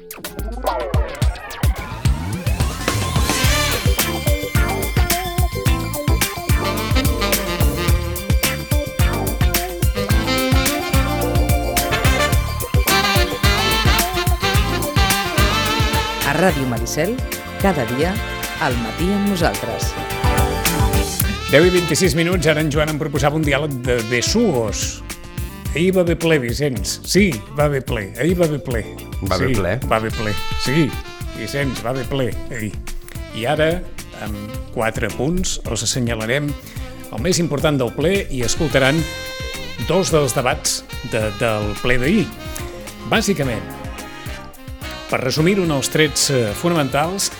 A Ràdio Maricel, cada dia, al matí amb nosaltres. 10 i 26 minuts, ara en Joan em proposava un diàleg de besugos. Ahir va haver ple, Vicenç. Sí, va haver ple. Ahir va haver ple. Va haver ple? Va haver ple. Sí, Vicenç, va haver ple ahir. I ara, amb 4 punts, els assenyalarem el més important del ple i escoltaran 2 dels debats del ple d'ahir. Bàsicament, per resumir-ho en els trets fonamentals,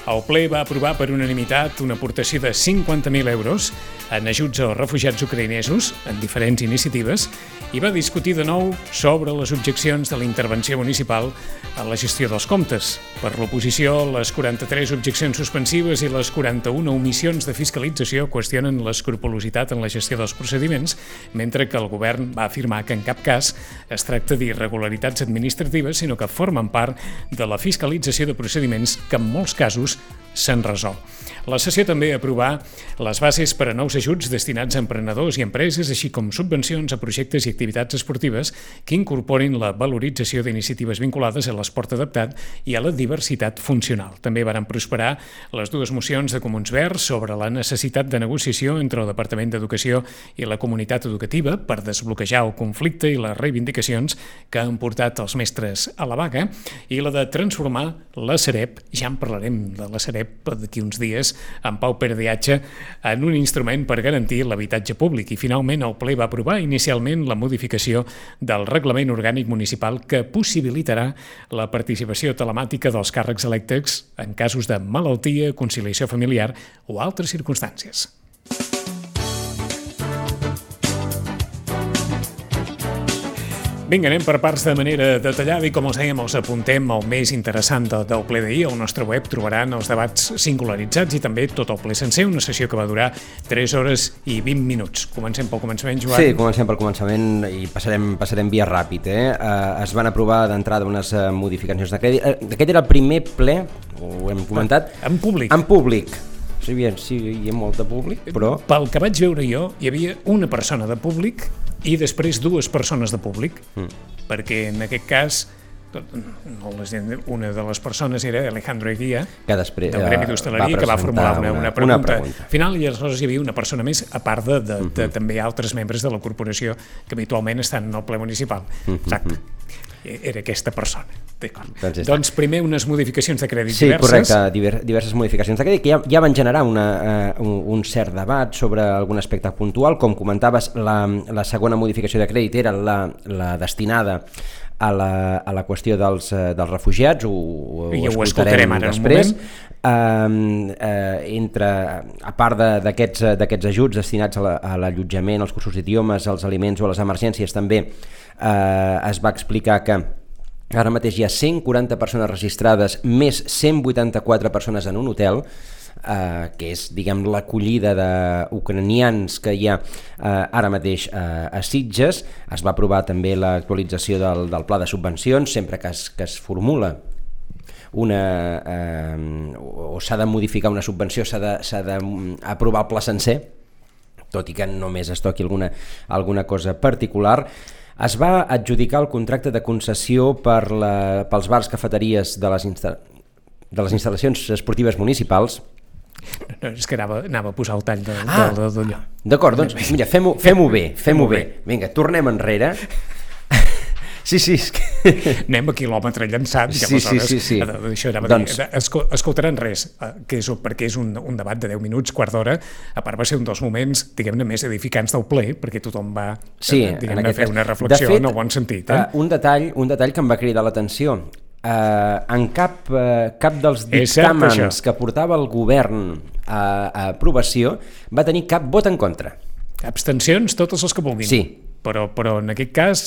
el ple va aprovar per unanimitat una aportació de 50.000 euros en ajuts als refugiats ucraïnesos en diferents iniciatives i va discutir de nou sobre les objeccions de la intervenció municipal en la gestió dels comptes. Per l'oposició, les 43 objeccions suspensives i les 41 omissions de fiscalització qüestionen l'escrupolositat en la gestió dels procediments, mentre que el govern va afirmar que en cap cas es tracta d'irregularitats administratives, sinó que formen part de la fiscalització de procediments que en molts casos s'han resolt. La sessió també aprovà les bases per a nous ajuts destinats a emprenedors i empreses, així com subvencions a projectes i activitats esportives que incorporin la valorització d'iniciatives vinculades a l'esport adaptat i a la diversitat funcional. També varen prosperar les 2 mocions de Comuns Verds sobre la necessitat de negociació entre el Departament d'Educació i la comunitat educativa per desbloquejar el conflicte i les reivindicacions que han portat els mestres a la vaga i la de transformar la Sareb, ja en parlarem de la Sareb d'aquí uns dies, en Pau Perdiatge, en un instrument per garantir l'habitatge públic. I finalment el ple va aprovar inicialment la modificació del reglament orgànic municipal que possibilitarà la participació telemàtica dels càrrecs electes en casos de malaltia, conciliació familiar o altres circumstàncies. Vinga, anem per parts de manera detallada i, com els dèiem, els apuntem al més interessant del ple d'ahir. Al nostre web trobaran els debats singularitzats i també tot el ple sencer, una sessió que va durar 3 hores i 20 minuts. Comencem pel començament, Joan? Sí, comencem pel començament i passarem via ràpid. Es van aprovar d'entrada unes modificacions de crèdit. Aquest era el primer ple, ho hem comentat. En públic. En públic. Sí, hi ha molt de públic, però... Pel que vaig veure jo, hi havia una persona de públic i després 2 persones de públic, perquè en aquest cas una de les persones era Alejandro Eguía, del Gremi d'Hostaleria, que va formular una pregunta final, i aleshores hi havia una persona més, a part de també altres membres de la corporació que habitualment estan en el ple municipal. Exacte. Era aquesta persona. Doncs primer unes modificacions de crèdit diverses. Sí, correcte, diverses modificacions de crèdit que ja van generar un cert debat sobre algun aspecte puntual. Com comentaves, la segona modificació de crèdit era la destinada a la qüestió dels refugiats, ho escoltarem ara després. A part d'aquests ajuts destinats a l'allotjament, als cursos d'idiomes, als aliments o a les emergències, també es va explicar que ara mateix hi ha 140 persones registrades més 184 persones en un hotel, que és, diguem, l'acollida d'ucranians que hi ha ara mateix a Sitges. Es va aprovar també l'actualització del pla de subvencions, sempre que es formula o s'ha de modificar una subvenció, s'ha d'aprovar el pla sencer, tot i que només es toqui alguna cosa particular. Es va adjudicar el contracte de concessió pels bars, cafeteries de les instal·lacions esportives municipals. No, és que anava a posar el tall d'allò. D'acord, doncs mira, fem-ho bé. Vinga, tornem enrere. Sí, és que... Anem a quilòmetre llançat. Sí. Això anava a dir. Escoltaran res, perquè és un debat de 10 minuts, quart d'hora. A part va ser un dels moments, diguem-ne, més edificants del ple, perquè tothom va fer una reflexió en el bon sentit. Un detall que em va cridar l'atenció. En cap dels dictàmens que portava el govern a aprovació va tenir cap vot en contra. Abstencions, totes les que vulguin. Sí. Però en aquest cas,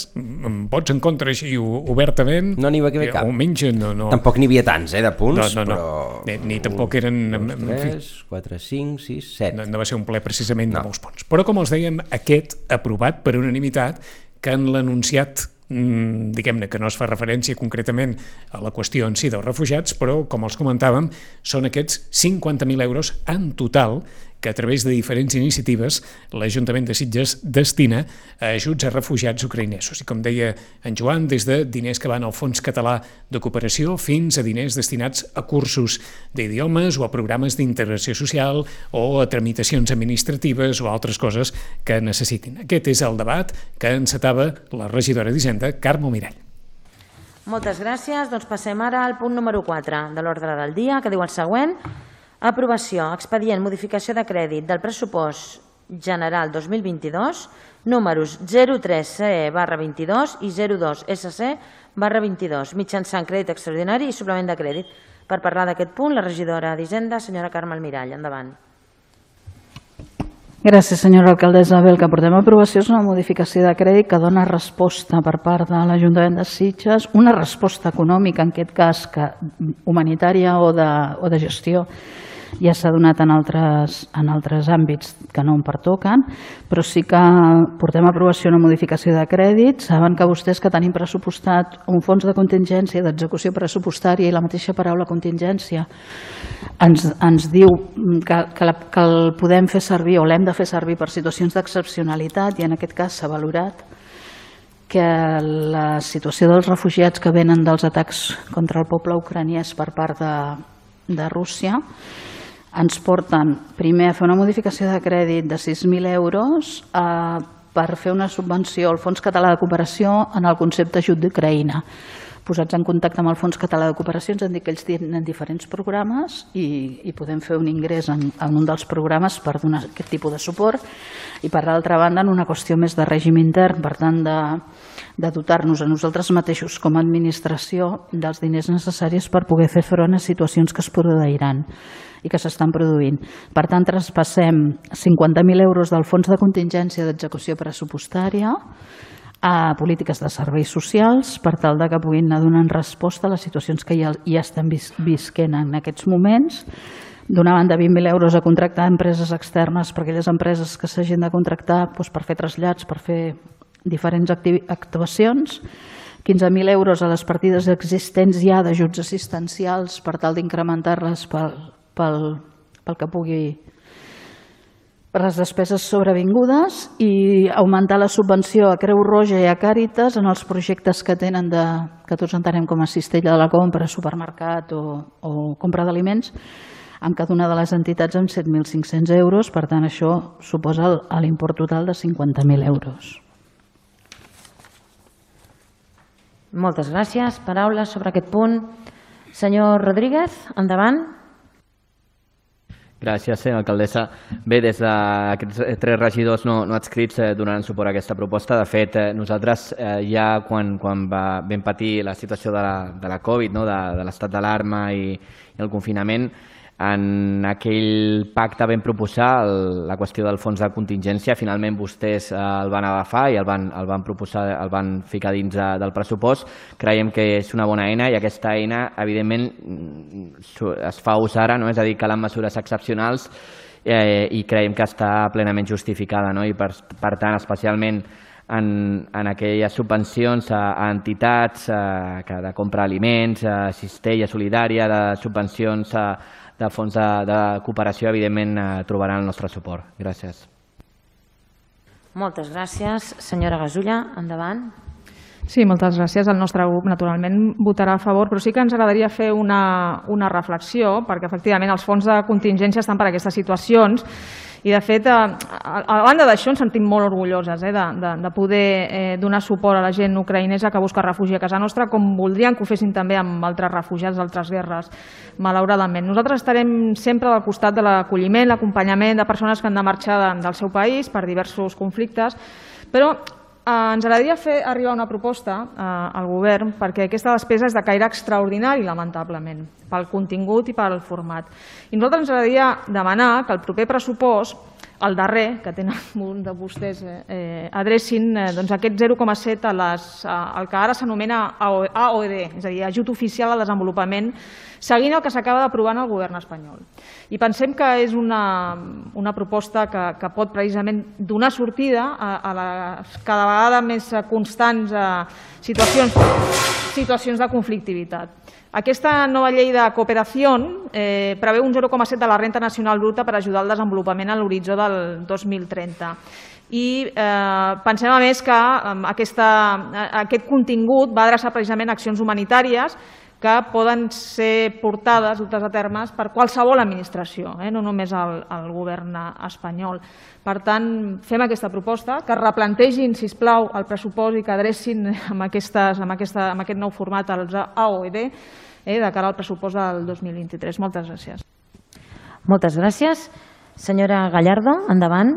vots en contra així obertament... No n'hi va haver cap. Almenys no. Tampoc n'hi havia tants, de punts, però... Ni tampoc eren... 3, 4, 5, 6, 7... No va ser un ple precisament de molts punts. Però, com els dèiem, aquest aprovat per unanimitat, que en l'anunciat diguem-ne que no es fa referència concretament a la qüestió en si dels refugiats, però, com els comentàvem, són aquests 50.000 euros en total que a través de diferents iniciatives l'Ajuntament de Sitges destina a ajuts a refugiats ucraïnesos. I com deia en Joan, des de diners que van al Fons Català de Cooperació fins a diners destinats a cursos d'idiomes o a programes d'integració social o a tramitacions administratives o altres coses que necessitin. Aquest és el debat que encetava la regidora d'Hisenda, Carme Mirall. Moltes gràcies. Doncs passem ara al punt número 4 de l'ordre del dia, que diu el següent. Aprovació, expedient, modificació de crèdit del pressupost general 2022, números 03CE/22 i 02SC/22, mitjançant crèdit extraordinari i suplement de crèdit. Per parlar d'aquest punt, la regidora d'Hisenda, senyora Carme Mirall. Endavant. Gràcies, senyora alcaldessa. Bé, el que portem a aprovació és una modificació de crèdit que dona resposta per part de l'Ajuntament de Sitges, una resposta econòmica, en aquest cas, humanitària o de gestió. Ja s'ha donat en altres àmbits que no em pertoquen, però sí que portem a aprovació una modificació de crèdit. Saben que vostès que tenim pressupostat un fons de contingència, d'execució pressupostària, i la mateixa paraula contingència ens diu que el podem fer servir o l'hem de fer servir per situacions d'excepcionalitat, i en aquest cas s'ha valorat que la situació dels refugiats que venen dels atacs contra el poble ucraniès per part de Rússia ens porten primer a fer una modificació de crèdit de 6.000 euros per fer una subvenció al Fons Català de Cooperació en el concepte ajut d'Ucraïna. Posats en contacte amb el Fons Català de Cooperació ens han dit que ells tenen diferents programes i podem fer un ingrés en un dels programes per donar aquest tipus de suport, i per l'altra banda en una qüestió més de règim intern, per tant de dotar-nos a nosaltres mateixos com a administració dels diners necessaris per poder fer front a situacions que es produiran i que s'estan produint. Per tant, traspassem 50.000 euros del Fons de Contingència d'Execució Pressupostària a polítiques de serveis socials per tal que puguin anar donant resposta a les situacions que ja estan visquent en aquests moments. D'una banda, 20.000 euros a contractar empreses externes per aquelles empreses que s'hagin de contractar per fer trasllats, per fer diferents actuacions. 15.000 euros a les partides existents ja d'ajuts assistencials per tal d'incrementar-les pel que pugui, per les despeses sobrevingudes, i augmentar la subvenció a Creu Roja i a Càritas en els projectes que tenen que tots entenem com a cistella de la compra, supermercat o compra d'aliments, amb cada una de les entitats amb 7.500 euros. Per tant, això suposa l'import total de 50.000 euros. Moltes gràcies. Paraules sobre aquest punt. Senyor Rodríguez, endavant. Gràcies, senyora alcaldessa. Bé, des d'aquests 3 regidors no adscrits donaran suport a aquesta proposta. De fet, nosaltres ja quan vam patir la situació de la Covid, de l'estat d'alarma i el confinament, en aquell pacte vam proposar la qüestió del fons de contingència. Finalment vostès el van agafar i el van proposar, el van ficar dins del pressupost. Creiem que és una bona eina i aquesta eina, evidentment, es fa ús ara, és a dir, calen mesures excepcionals i creiem que està plenament justificada. I per tant, especialment en aquelles subvencions a entitats de compra d'aliments, cistella solidària, de subvencions de fons de cooperació, evidentment trobaran el nostre suport. Gràcies. Moltes gràcies. Senyora Gasulla, endavant. Sí, moltes gràcies. El nostre grup, naturalment, votarà a favor, però sí que ens agradaria fer una reflexió, perquè, efectivament, els fons de contingència estan per a aquestes situacions i, de fet, a banda d'això, ens sentim molt orgulloses de poder donar suport a la gent ucraïnesa que busca refugi a casa nostra, com voldrien que ho fessin també amb altres refugiats d'altres guerres, malauradament. Nosaltres estarem sempre al costat de l'acolliment, l'acompanyament de persones que han de marxar del seu país per diversos conflictes, però ens agradaria fer arribar una proposta al govern perquè aquesta despesa és de caire extraordinari, lamentablement, pel contingut i pel format. I nosaltres ens agradaria demanar que el proper pressupost el darrer, que tenen un de vostès, adrecin aquest 0,7 al que ara s'anomena AOD, és a dir, Ajut Oficial al Desenvolupament, seguint el que s'acaba d'aprovar en el govern espanyol. I pensem que és una proposta que pot precisament donar sortida a les cada vegada més constants situacions de conflictivitat. Aquesta nova llei de cooperació preveu un 0,7 de la renta nacional bruta per ajudar al desenvolupament a l'horitzó del 2030. I pensem, a més, que aquest contingut va adreçar precisament a accions humanitàries que poden ser portades, dutes a termes, per qualsevol administració, no només el govern espanyol. Per tant, fem aquesta proposta, que replantegin, sisplau, el pressupost i que adrecin amb aquest nou format als AOD de cara al pressupost del 2023. Moltes gràcies. Moltes gràcies. Senyora Gallardo, endavant.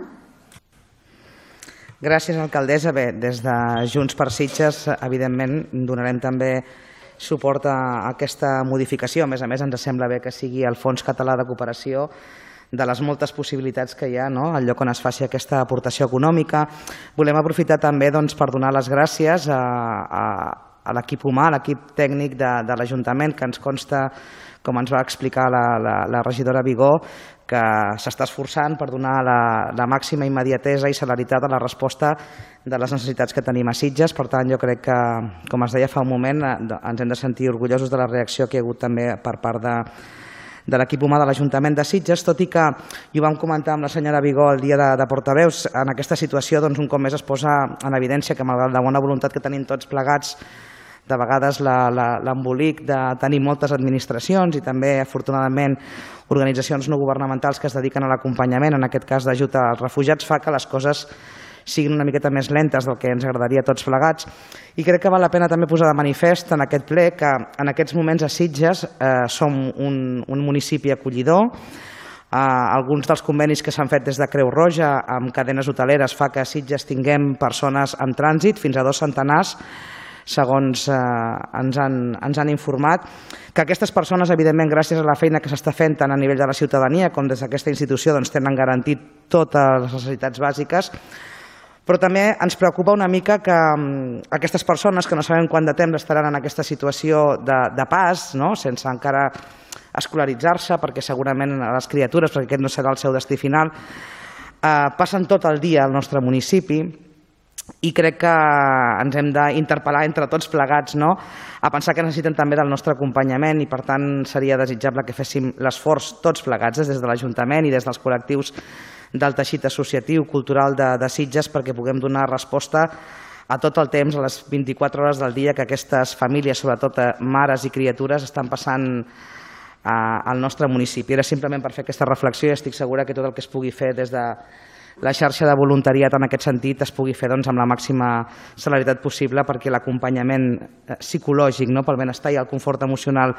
Gràcies, alcaldessa. Bé, des de Junts per Sitges, evidentment, donarem també suport a aquesta modificació. A més, ens sembla bé que sigui el Fons Català de Cooperació, de les moltes possibilitats que hi ha, el lloc on es faci aquesta aportació econòmica. Volem aprofitar també per donar les gràcies a l'equip humà, a l'equip tècnic de l'Ajuntament, que ens consta, com ens va explicar la regidora Vigó, que s'està esforçant per donar la màxima immediatesa i celeritat a la resposta de les necessitats que tenim a Sitges. Per tant, jo crec que, com es deia fa un moment, ens hem de sentir orgullosos de la reacció que hi ha hagut també per part de l'equip humà de l'Ajuntament de Sitges, tot i que, i ho vam comentar amb la senyora Vigó el dia de portaveus, en aquesta situació un cop més es posa en evidència que, malgrat la bona voluntat que tenim tots plegats, de vegades l'embolic de tenir moltes administracions i també, afortunadament, organitzacions no governamentals que es dediquen a l'acompanyament, en aquest cas d'ajut als refugiats, fa que les coses siguin una miqueta més lentes del que ens agradaria a tots plegats. I crec que val la pena també posar de manifest en aquest ple que en aquests moments a Sitges som un municipi acollidor. Alguns dels convenis que s'han fet des de Creu Roja amb cadenes hoteleres fa que a Sitges tinguem persones en trànsit, fins a 2 centenars, segons ens han informat, que aquestes persones, evidentment, gràcies a la feina que s'està fent tant a nivell de la ciutadania com des d'aquesta institució, tenen garantit totes les necessitats bàsiques, però també ens preocupa una mica que aquestes persones, que no sabem quant de temps estaran en aquesta situació de pas, sense encara escolaritzar-se, perquè segurament a les criatures, perquè aquest no serà el seu destí final, passen tot el dia al nostre municipi, i crec que ens hem d'interpel·lar entre tots plegats a pensar que necessiten també del nostre acompanyament i, per tant, seria desitjable que féssim l'esforç tots plegats des de l'Ajuntament i des dels col·lectius del teixit associatiu cultural de Sitges perquè puguem donar resposta a tot el temps, a les 24 hores del dia que aquestes famílies, sobretot mares i criatures, estan passant al nostre municipi. Era simplement per fer aquesta reflexió i estic segura que tot el que es pugui fer des de la xarxa de voluntariat en aquest sentit es pugui fer amb la màxima celeritat possible perquè l'acompanyament psicològic pel benestar i el confort emocional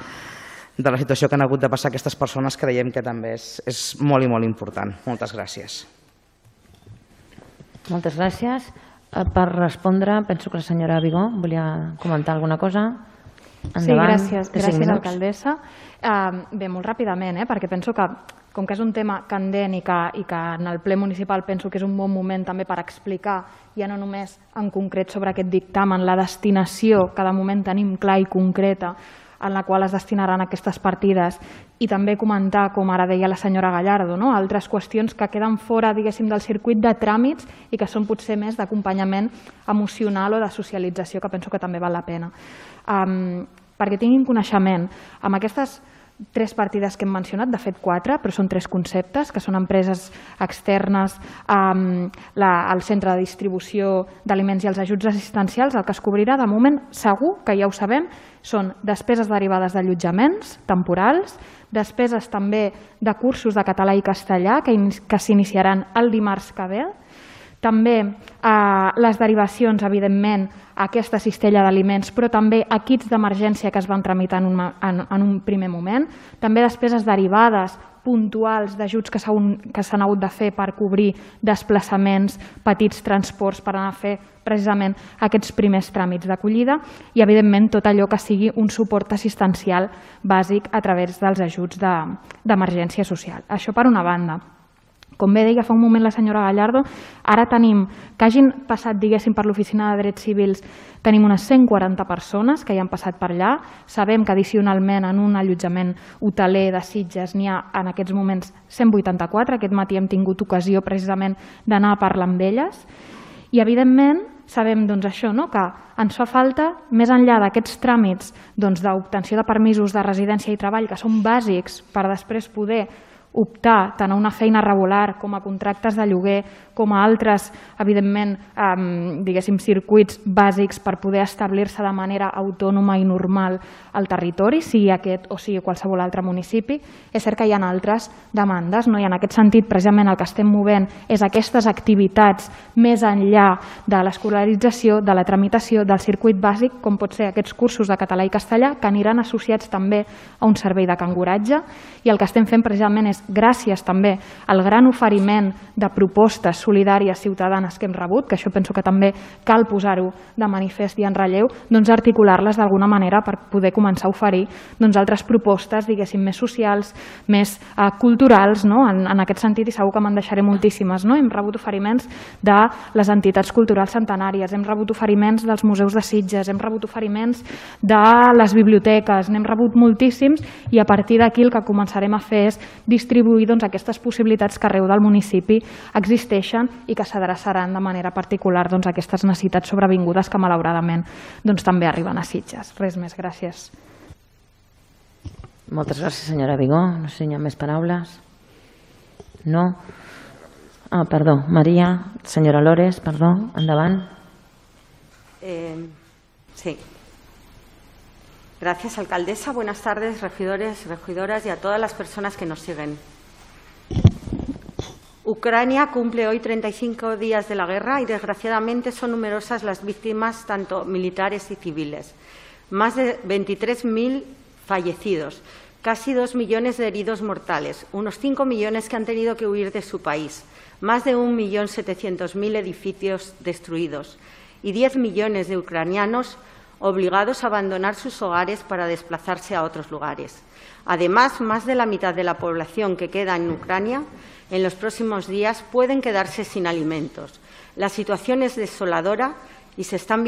de la situació que han hagut de passar aquestes persones creiem que també és molt i molt important. Moltes gràcies. Moltes gràcies. Per respondre, penso que la senyora Vigó volia comentar alguna cosa. Endavant. Sí, gràcies, alcaldessa. Bé, molt ràpidament, perquè penso que com que és un tema candent i que en el ple municipal penso que és un bon moment també per explicar, ja no només en concret sobre aquest dictamen, la destinació que de moment tenim clar i concreta en la qual es destinaran aquestes partides i també comentar, com ara deia la senyora Gallardo, altres qüestions que queden fora, diguéssim, del circuit de tràmits i que són potser més d'acompanyament emocional o de socialització, que penso que també val la pena. Perquè tinguin coneixement, amb aquestes 3 partides que hem mencionat, de fet 4, però són 3 conceptes, que són empreses externes, el centre de distribució d'aliments i els ajuts assistencials. El que es cobrirà de moment, segur, que ja ho sabem, són despeses derivades d'allotjaments temporals, despeses també de cursos de català i castellà que s'iniciaran el dimarts que ve, també les derivacions, evidentment, a aquesta cistella d'aliments, però també a kits d'emergència que es van tramitar en un primer moment, també despeses derivades puntuals d'ajuts que s'han hagut de fer per cobrir desplaçaments, petits transports per anar a fer precisament aquests primers tràmits d'acollida i, evidentment, tot allò que sigui un suport assistencial bàsic a través dels ajuts d'emergència social. Això per una banda. Com bé deia fa un moment la senyora Gallardo, ara tenim que hagin passat, diguéssim, per l'Oficina de Drets Civils, tenim unes 140 persones que hi han passat per allà. Sabem que addicionalment en un allotjament hoteler de Sitges n'hi ha en aquests moments 184. Aquest matí hem tingut ocasió precisament d'anar a parlar amb elles. I, evidentment, sabem això, que ens fa falta, més enllà d'aquests tràmits d'obtenció de permisos de residència i treball, que són bàsics per després poder optar tant a una feina regular com a contractes de lloguer, com a altres, evidentment, diguéssim, circuits bàsics per poder establir-se de manera autònoma i normal al territori, sigui aquest o sigui qualsevol altre municipi. És cert que hi ha altres demandes, i en aquest sentit, precisament, el que estem movent és aquestes activitats més enllà de l'escolarització, de la tramitació, del circuit bàsic, com pot ser aquests cursos de català i castellà, que aniran associats també a un servei de canguratge, i el que estem fent precisament és, gràcies també al gran oferiment de propostes solidàries ciutadanes que hem rebut, que això penso que també cal posar-ho de manifest i en relleu, articular-les d'alguna manera per poder començar a oferir altres propostes, diguéssim, més socials, més culturals, en aquest sentit, i segur que me'n deixaré moltíssimes. Hem rebut oferiments de les entitats culturals centenàries, hem rebut oferiments dels museus de Sitges, hem rebut oferiments de les biblioteques, n'hem rebut moltíssims, i a partir d'aquí el que començarem a fer és distribuir aquestes possibilitats que arreu del municipi existeixen i que s'adreçaran de manera particular a aquestes necessitats sobrevingudes que malauradament també arriben a Sitges. Res més, gràcies. Moltes gràcies, senyora Vigó. No sé si hi ha més paraules. No? Perdó, María. Senyora Lores, perdó, endavant. Sí. Gracias, alcaldesa. Buenas tardes, regidores, regidoras y a todas las personas que nos siguen. Ucrania cumple hoy 35 días de la guerra y, desgraciadamente, son numerosas las víctimas, tanto militares y civiles. Más de 23.000 fallecidos, casi 2 millones de heridos mortales, unos 5 millones que han tenido que huir de su país, más de 1.700.000 edificios destruidos y 10 millones de ucranianos obligados a abandonar sus hogares para desplazarse a otros lugares. Además, más de la mitad de la población que queda en Ucrania en los próximos días pueden quedarse sin alimentos. La situación es desoladora y están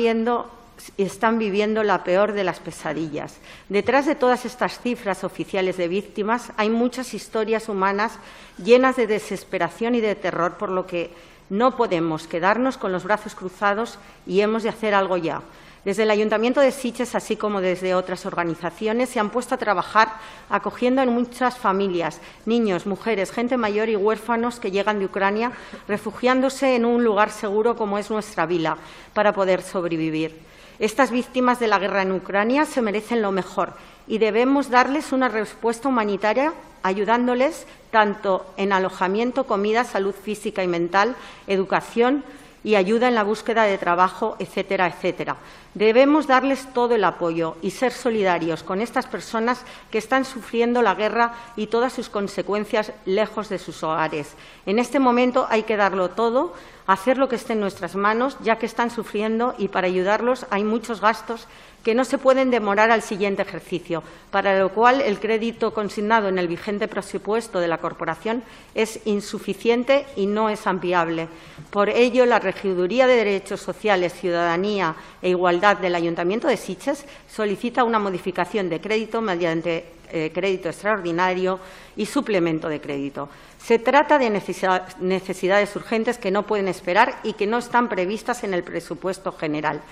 viviendo la peor de las pesadillas. Detrás de todas estas cifras oficiales de víctimas hay muchas historias humanas llenas de desesperación y de terror, por lo que no podemos quedarnos con los brazos cruzados y hemos de hacer algo ya. Desde el Ayuntamiento de Sitges, así como desde otras organizaciones, se han puesto a trabajar acogiendo a muchas familias, niños, mujeres, gente mayor y huérfanos que llegan de Ucrania, refugiándose en un lugar seguro como es nuestra vila, para poder sobrevivir. Estas víctimas de la guerra en Ucrania se merecen lo mejor y debemos darles una respuesta humanitaria, ayudándoles tanto en alojamiento, comida, salud física y mental, educación y ayuda en la búsqueda de trabajo, etcétera, etcétera. Debemos darles todo el apoyo y ser solidarios con estas personas que están sufriendo la guerra y todas sus consecuencias lejos de sus hogares. En este momento hay que darlo todo, hacer lo que esté en nuestras manos, ya que están sufriendo, y para ayudarlos hay muchos gastos que no se pueden demorar al siguiente ejercicio, para lo cual el crédito consignado en el vigente presupuesto de la Corporación es insuficiente y no es ampliable. Por ello, la Regiduría de Derechos Sociales, Ciudadanía e Igualdad del Ayuntamiento de Sitges solicita una modificación de crédito mediante crédito extraordinario y suplemento de crédito. Se trata de necesidades urgentes que no pueden esperar y que no están previstas en el presupuesto general,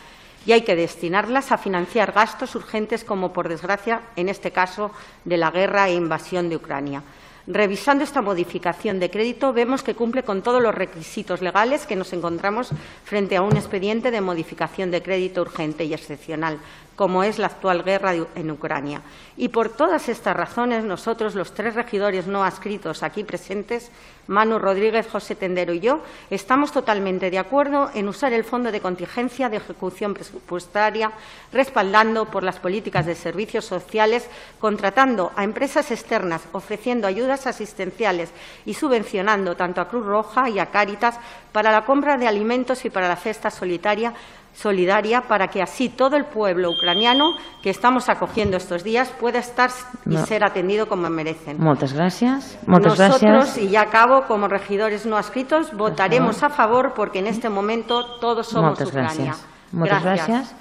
y hay que destinarlas a financiar gastos urgentes como, por desgracia, en este caso, de la guerra e invasión de Ucrania. Revisando esta modificación de crédito, vemos que cumple con todos los requisitos legales que nos encontramos frente a un expediente de modificación de crédito urgente y excepcional, como es la actual guerra en Ucrania. Y por todas estas razones, nosotros, los 3 regidores no adscritos aquí presentes, Manu Rodríguez, José Tendero y yo, estamos totalmente de acuerdo en usar el Fondo de Contingencia de Ejecución Presupuestaria, respaldando por las políticas de servicios sociales, contratando a empresas externas, ofreciendo ayudas asistenciales y subvencionando tanto a Cruz Roja y a Cáritas para la compra de alimentos y para la cesta solidaria solidaria para que así todo el pueblo ucraniano que estamos acogiendo estos días pueda estar y ser atendido como merecen. Moltes gràcies. Nosotros, y ya acabo, como regidores no adscritos, votaremos a favor porque en este momento todos somos Ucrania. Moltes gràcies.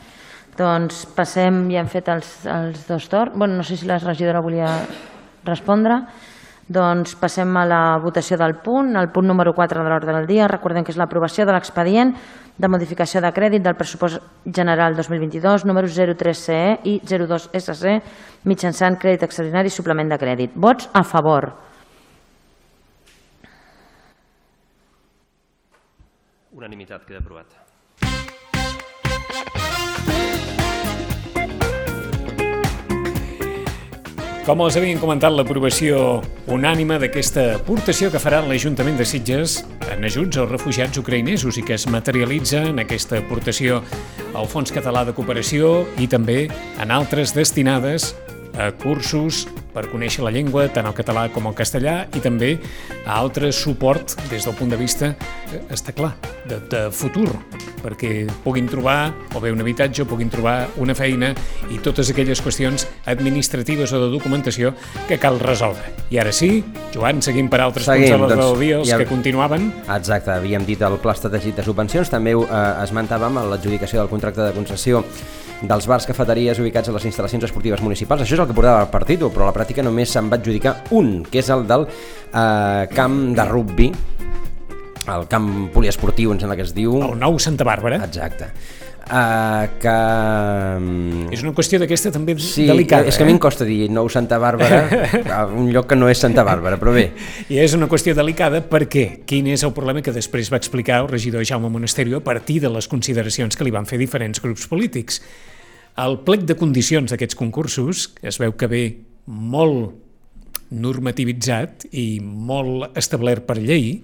Doncs passem, ja hem fet els dos torns. Bueno, no sé si la regidora volia respondre. Doncs passem a la votació del punt, el punt número 4 de l'ordre del dia. Recordem que és l'aprovació de l'expedient de modificació de crèdit del pressupost general 2022, números 03CE i 02SC, mitjançant crèdit extraordinari i suplement de crèdit. Vots a favor. Unanimitat, queda aprovat. Com els havien comentat, l'aprovació unànime d'aquesta aportació que farà l'Ajuntament de Sitges en ajuts als refugiats ucraïnesos i que es materialitza en aquesta aportació al Fons Català de Cooperació i també en altres destinades a cursos per conèixer la llengua, tant el català com el castellà, i també a altre suport des del punt de vista, està clar, de futur, perquè puguin trobar o bé un habitatge o puguin trobar una feina i totes aquelles qüestions administratives o de documentació que cal resoldre. I ara sí, Joan, seguim per altres punts de l'ordre del dia, els que continuaven. Exacte, havíem dit el Pla Estratègic de Subvencions, també esmentàvem l'adjudicació del contracte de concessió dels bars, cafeteries ubicats a les instal·lacions esportives municipals. Això és el que portava el partit, però a la pràctica només se'n va adjudicar un, que és el del camp de rugbi, el camp poliesportiu, em sembla que es diu. El nou Santa Bàrbara. Exacte. És una qüestió d'aquesta també delicada. És que a mi em costa dir nou Santa Bàrbara a un lloc que no és Santa Bàrbara, però bé. I és una qüestió delicada perquè quin és el problema que després va explicar el regidor Jaume Monasterio a partir de les consideracions que li van fer diferents grups polítics. El plec de condicions d'aquests concursos es veu que ve molt normativitzat i molt establert per llei,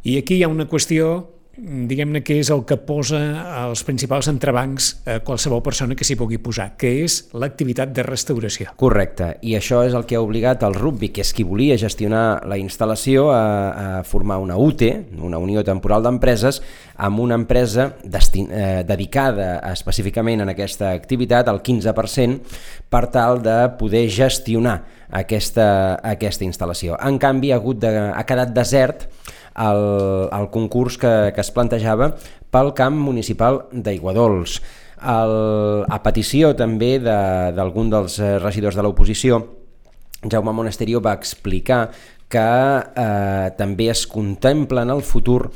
i aquí hi ha una qüestió, diguem-ne, que és el que posa els principals entrebancs a qualsevol persona que s'hi pugui posar, que és l'activitat de restauració. Correcte, i això és el que ha obligat el rugbi, que és qui volia gestionar la instal·lació, a formar una UTE, una Unió Temporal d'Empreses, amb una empresa dedicada específicament en aquesta activitat, al 15%, per tal de poder gestionar aquesta instal·lació. En canvi, ha quedat desert el concurs que es plantejava pel camp municipal d'Aiguadols. A petició també d'algun dels regidors de l'oposició, Jaume Monasterio va explicar que també es contempla en el futur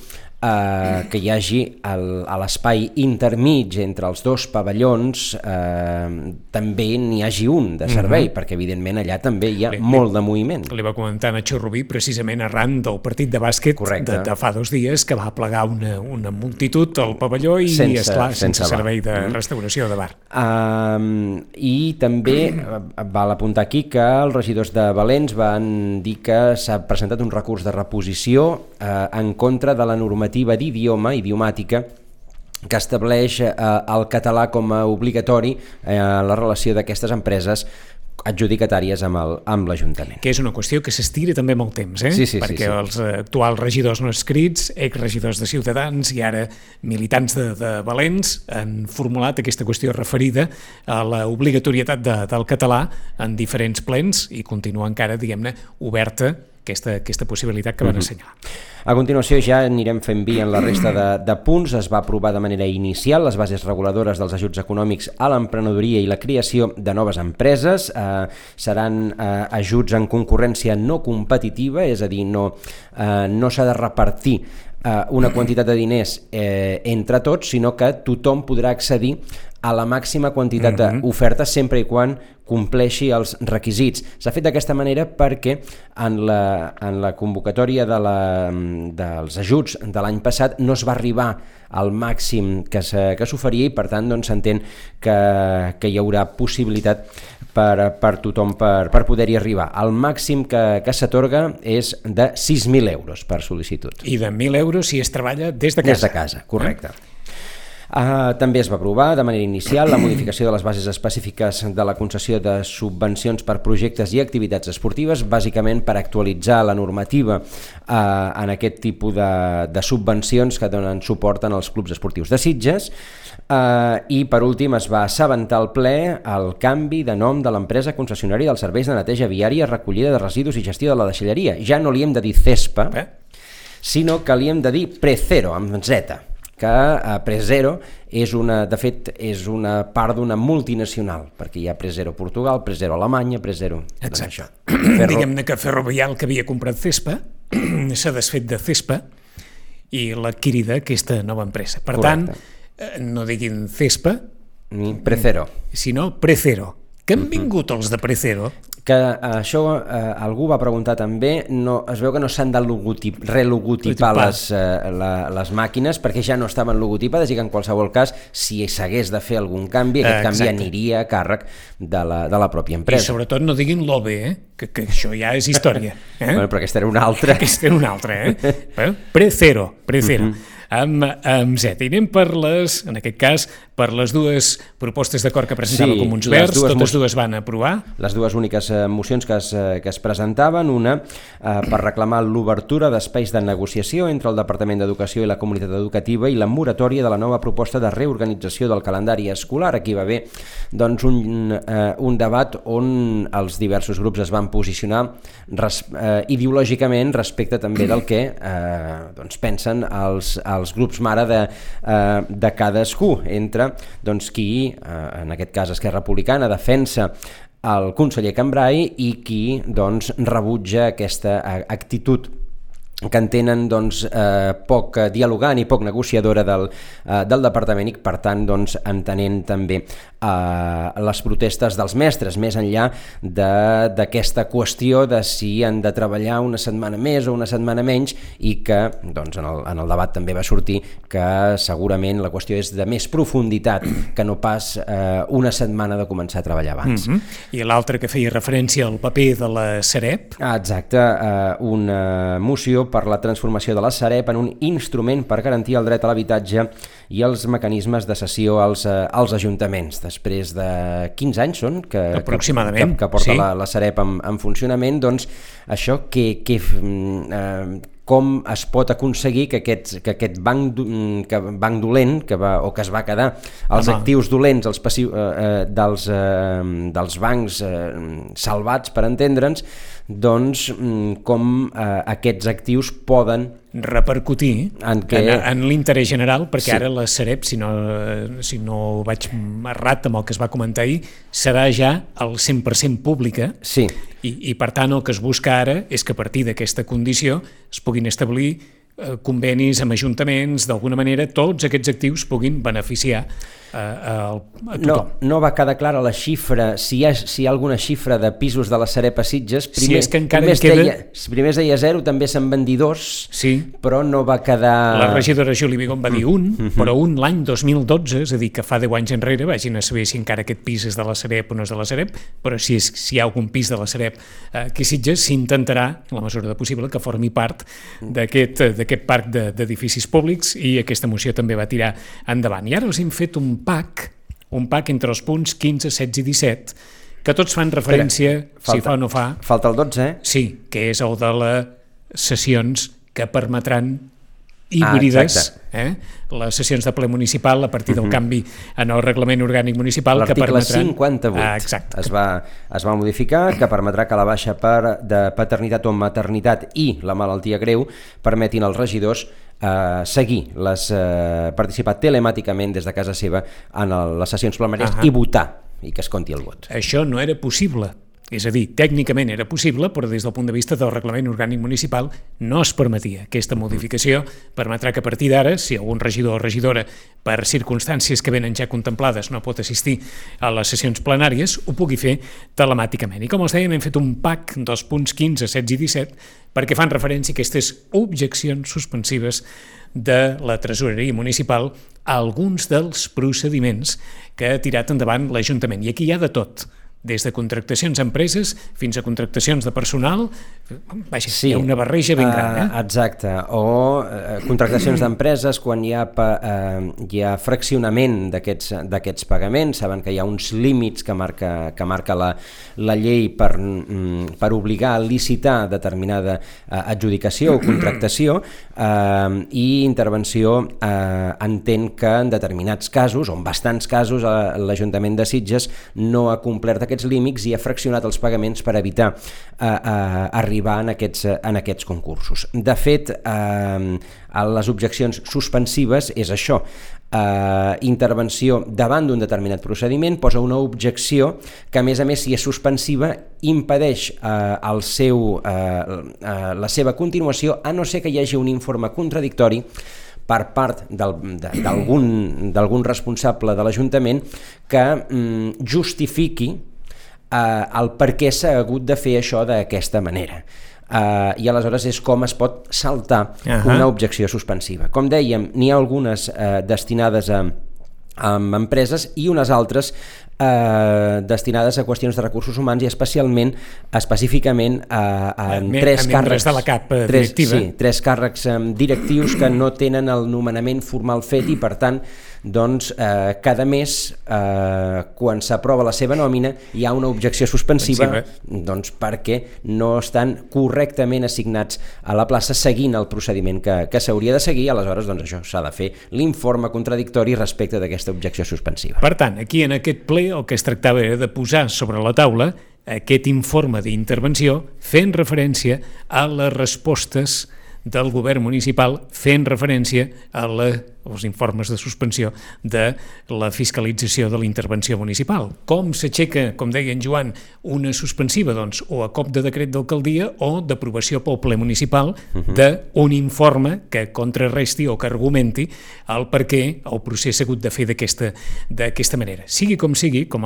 que hi hagi a l'espai intermig entre els dos pavellons també n'hi hagi un de servei, perquè evidentment allà també hi ha molt de moviment. Li va comentar Nacho Rubí precisament arran del partit de bàsquet de fa 2 dies, que va plegar una multitud al pavelló i, esclar, sense servei de restauració de bar. I també val apuntar aquí que els regidors de Valens van dir que s'ha presentat un recurs de reposició en contra de la normativa idiomàtica que estableix el català com a obligatori en la relació d'aquestes empreses adjudicatàries amb l'Ajuntament. Que és una qüestió que s'estira també molt temps, perquè els actuals regidors no escrits, exregidors de Ciutadans i ara militants de Valens han formulat aquesta qüestió referida a l'obligatorietat del català en diferents plens i continua encara, diguem-ne, oberta aquesta possibilitat que van assenyalar. A continuació ja anirem fent via en la resta de punts. Es va aprovar de manera inicial les bases reguladores dels ajuts econòmics a l'emprenedoria i la creació de noves empreses. Seran ajuts en concurrència no competitiva, és a dir, no s'ha de repartir una quantitat de diners entre tots, sinó que tothom podrà accedir a la màxima quantitat d'oferta sempre i quan compleixi els requisits. S'ha fet d'aquesta manera perquè en la convocatòria dels ajuts de l'any passat no es va arribar al màxim que s'oferia i per tant s'entén que hi haurà possibilitat per tothom per poder-hi arribar. El màxim que s'atorga és de 6.000 euros per sol·licitud. I de 1.000 euros si es treballa des de casa. Des de casa, correcte. També es va aprovar de manera inicial la modificació de les bases específiques de la concessió de subvencions per projectes i activitats esportives, bàsicament per actualitzar la normativa en aquest tipus de subvencions que donen suport als clubs esportius de Sitges. I per últim es va assabentar al ple el canvi de nom de l'empresa concessionària dels serveis de neteja viària, recollida de residus i gestió de la deixalleria. Ja no li hem de dir CESPA, sinó que li hem de dir Precero, amb Z, que Prezero de fet és una part d'una multinacional, perquè hi ha Prezero Portugal, Prezero Alemanya, Prezero... Exacte. Diguem-ne que Ferrovial, que havia comprat CESPA, s'ha desfet de CESPA i l'ha adquirida aquesta nova empresa. Per tant, no diguin CESPA, ni Precero, sinó Precero. Que han vingut els de Precero? Que això algú va preguntar també, es veu que no s'han de relogotipar les màquines perquè ja no estaven logotipades i que en qualsevol cas, si s'hagués de fer algun canvi, aquest canvi aniria a càrrec de la pròpia empresa. I sobretot no diguin l'OBE, que això ja és història. Bueno, però aquesta era una altra. Aquesta era una altra, Precero. Amb Z. I anem per en aquest cas, per les dues propostes d'acord que presentava Comuns Verds, totes dues van aprovar. Les dues úniques mocions que es presentaven, una per reclamar l'obertura d'espais de negociació entre el Departament d'Educació i la comunitat educativa i la moratòria de la nova proposta de reorganització del calendari escolar. Aquí va haver doncs, un debat on els diversos grups es van posicionar ideològicament respecte també del que pensen els grups mare de cadascú, entre qui, en aquest cas Esquerra Republicana, defensa el conseller Cambray i qui rebutja aquesta actitud que entenen poc dialogant i poc negociadora del departament i per tant entenent també les protestes dels mestres, més enllà d'aquesta qüestió de si han de treballar una setmana més o una setmana menys i que en el debat també va sortir que segurament la qüestió és de més profunditat que no pas una setmana de començar a treballar abans. I l'altre que feia referència al paper de la Sareb? Exacte, una moció per la transformació de la Sareb en un instrument per garantir el dret a l'habitatge i els mecanismes de cessió als ajuntaments. Després de 15 anys són que porta la Sareb en funcionament, doncs això com es pot aconseguir que aquest banc dolent o que es va quedar els actius dolents dels bancs salvats, per entendre'ns, doncs com aquests actius poden repercutir en l'interès general, perquè ara la Sareb, si no vaig errat amb el que es va comentar ahir, serà ja al 100% pública i per tant el que es busca ara és que a partir d'aquesta condició es puguin establir convenis amb ajuntaments, d'alguna manera tots aquests actius puguin beneficiar a tothom. No va quedar clara la xifra, si hi ha alguna xifra de pisos de la Sareb a Sitges. Si és que encara en queda... Primer es deia 0, també se'n van dir 2, però no va quedar... La regidora Juli Vigón va dir 1, però un l'any 2012, és a dir, que fa 10 anys enrere, vagin a saber si encara aquest pis és de la Sareb o no és de la Sareb, però si hi ha algun pis de la Sareb que a Sitges, s'intentarà, en la mesura de possible, que formi part d'aquest parc d'edificis públics, i aquesta moció també va tirar endavant. I ara els hem fet un PAC entre els punts 15, 16 i 17, que tots fan referència, si fa o no fa... Falta el 12, Sí, que és el de les sessions que permetran híbrides, les sessions de ple municipal a partir del canvi en el reglament orgànic municipal. L'article 58 es va modificar, que permetrà que la baixa de paternitat o maternitat i la malaltia greu permetin als regidors participar telemàticament des de casa seva en les sessions plenàries i votar, i que es compti el vot. Això no era possible. És a dir, tècnicament era possible, però des del punt de vista del reglament orgànic municipal no es permetia. Aquesta modificació permetrà que a partir d'ara, si algun regidor o regidora per circumstàncies que venen ja contemplades no pot assistir a les sessions plenàries, ho pugui fer telemàticament. I com els dèiem, hem fet un PAC dels punts 15, 16 i 17 perquè fan referència a aquestes objeccions suspensives de la tresoreria municipal a alguns dels procediments que ha tirat endavant l'Ajuntament. I aquí hi ha de tot. des de contractacions a empreses fins a contractacions de personal. Vaja, sí, hi ha una barreja ben gran. Exacte, o contractacions d'empreses quan hi ha fraccionament d'aquests pagaments. Saben que hi ha uns límits que marca la llei per obligar a licitar determinada adjudicació o contractació, i intervenció entén que en determinats casos, o en bastants casos, l'Ajuntament de Sitges no ha complert aquests límits i ha fraccionat els pagaments per evitar arribar en aquests concursos. De fet, les objeccions suspensives és això, intervenció davant d'un determinat procediment, posa una objecció que, a més, si és suspensiva, impedeix la seva continuació, a no ser que hi hagi un informe contradictori per part d'algun responsable de l'Ajuntament que justifiqui el per què s'ha hagut de fer això d'aquesta manera. I aleshores és com es pot saltar una objecció suspensiva. Com dèiem, n'hi ha algunes destinades a empreses i unes altres destinades a qüestions de recursos humans i específicament en tres càrrecs de la CAP directiva. Sí, 3 càrrecs directius que no tenen el nomenament formal fet i, per tant, doncs cada mes, quan s'aprova la seva nòmina, hi ha una objecció suspensiva perquè no estan correctament assignats a la plaça seguint el procediment que s'hauria de seguir. Aleshores, doncs això, s'ha de fer l'informe contradictori respecte d'aquesta objecció suspensiva. Per tant, aquí en aquest ple el que es tractava era de posar sobre la taula aquest informe d'intervenció fent referència a les respostes del govern municipal, fent referència als informes de suspensió de la fiscalització de la intervenció municipal. Com s'aixeca, com deia en Joan, una suspensiva? Doncs o a cop de decret d'alcaldia o d'aprovació pel ple municipal d'un informe que contrarresti o que argumenti el per què el procés s'ha hagut de fer d'aquesta manera. Sigui, com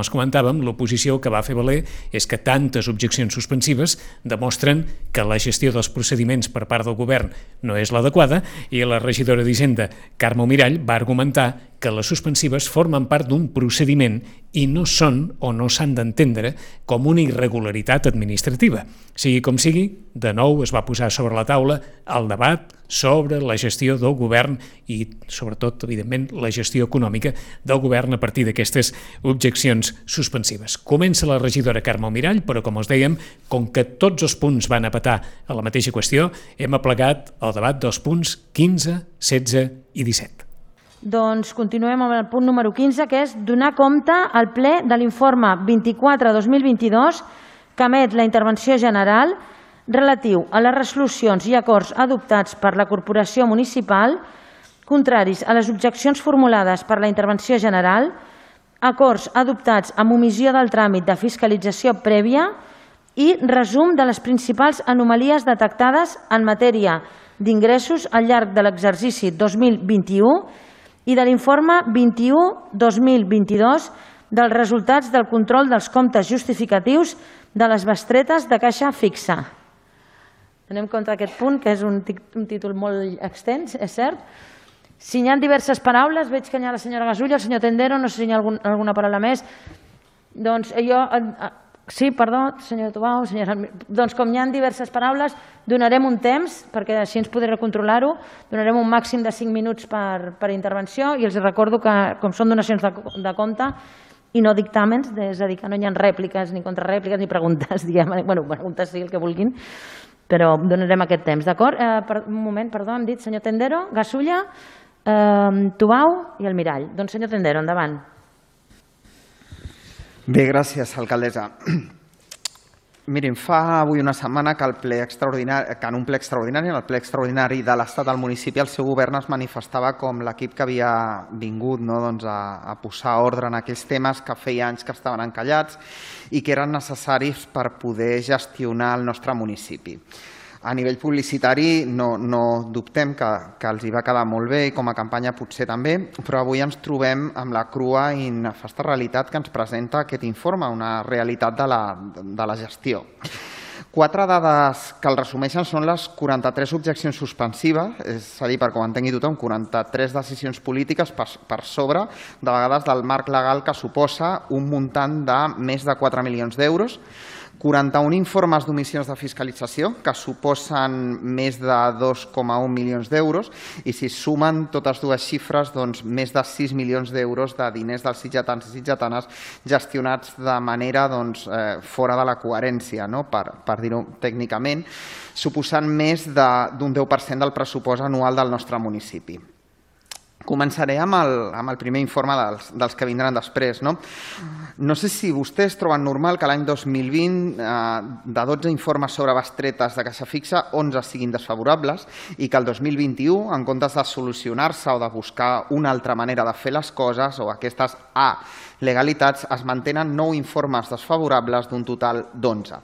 els comentàvem, l'oposició que va fer valer és que tantes objeccions suspensives demostren que la gestió dels procediments per part del govern no és l'adequada, i la regidora d'Hisenda, Carme Mirall, va argumentar que les suspensives formen part d'un procediment i no són o no s'han d'entendre com una irregularitat administrativa. Sigui com sigui, de nou es va posar sobre la taula el debat sobre la gestió del govern i, sobretot, evidentment, la gestió econòmica del govern a partir d'aquestes objeccions suspensives. Comença la regidora Carme Mirall, però, com us dèiem, com que tots els punts van a petar a la mateixa qüestió, hem aplegat el debat dels punts 15, 16 i 17. Doncs continuem amb el punt número 15, que és donar compte al ple de l'informe 24-2022 que emet la intervenció general relatiu a les resolucions i acords adoptats per la corporació municipal contraris a les objeccions formulades per la intervenció general, acords adoptats amb omissió del tràmit de fiscalització prèvia i resum de les principals anomalies detectades en matèria d'ingressos al llarg de l'exercici 2021 i de l'informe 21-2022 dels resultats del control dels comptes justificatius de les bestretes de caixa fixa. Anem compte d'aquest punt, que és un títol molt extens, és cert. Si hi ha diverses paraules, veig que hi ha la senyora Gasulla, el senyor Tendero, no sé si hi ha alguna paraula més. Doncs jo... Sí, perdó, senyor Tubau, doncs com hi ha diverses paraules, donarem un temps, perquè així ens podré controlar-ho, donarem un màxim de 5 minuts per intervenció i els recordo que, com són donacions de compte i no dictàmens, és a dir, que no hi ha rèpliques, ni contrarèpliques, ni preguntes, diguem, bueno, preguntes sí, el que vulguin, però donarem aquest temps, d'acord? Un moment, perdó, hem dit senyor Tendero, Gasulla, Tubau i el Mirall. Doncs senyor Tendero, endavant. Bé, gràcies, alcaldessa. Mirin, fa avui una setmana que en un ple extraordinari, en el ple extraordinari de l'Estat al municipi, el seu govern es manifestava com l'equip que havia vingut a posar ordre en aquells temes que feia anys que estaven encallats i que eren necessaris per poder gestionar el nostre municipi. A nivell publicitari no dubtem que els hi va quedar molt bé i com a campanya potser també, però avui ens trobem amb la crua i nefasta realitat que ens presenta aquest informe, una realitat de la gestió. 4 dades que el resumeixen són les 43 objeccions suspensives, és a dir, perquè ho entengui tothom, 43 decisions polítiques per sobre, de vegades, del marc legal que suposa un muntant de més de 4 milions d'euros, 41 informes d'omissions de fiscalització, que suposen més de 2,1 milions d'euros, i si sumen totes dues xifres, doncs més de 6 milions d'euros de diners dels sitgetans i sitgetanes gestionats de manera fora de la coherència, per dir-ho tècnicament, suposant més d'un 10% del pressupost anual del nostre municipi. Començaré amb el primer informe dels que vindran després. No sé si vostès troben normal que l'any 2020 de 12 informes sobre bestretes de caixa fixa, 11 siguin desfavorables i que el 2021, en comptes de solucionar-se o de buscar una altra manera de fer les coses o aquestes legalitats, es mantenen 9 informes desfavorables d'un total d'11.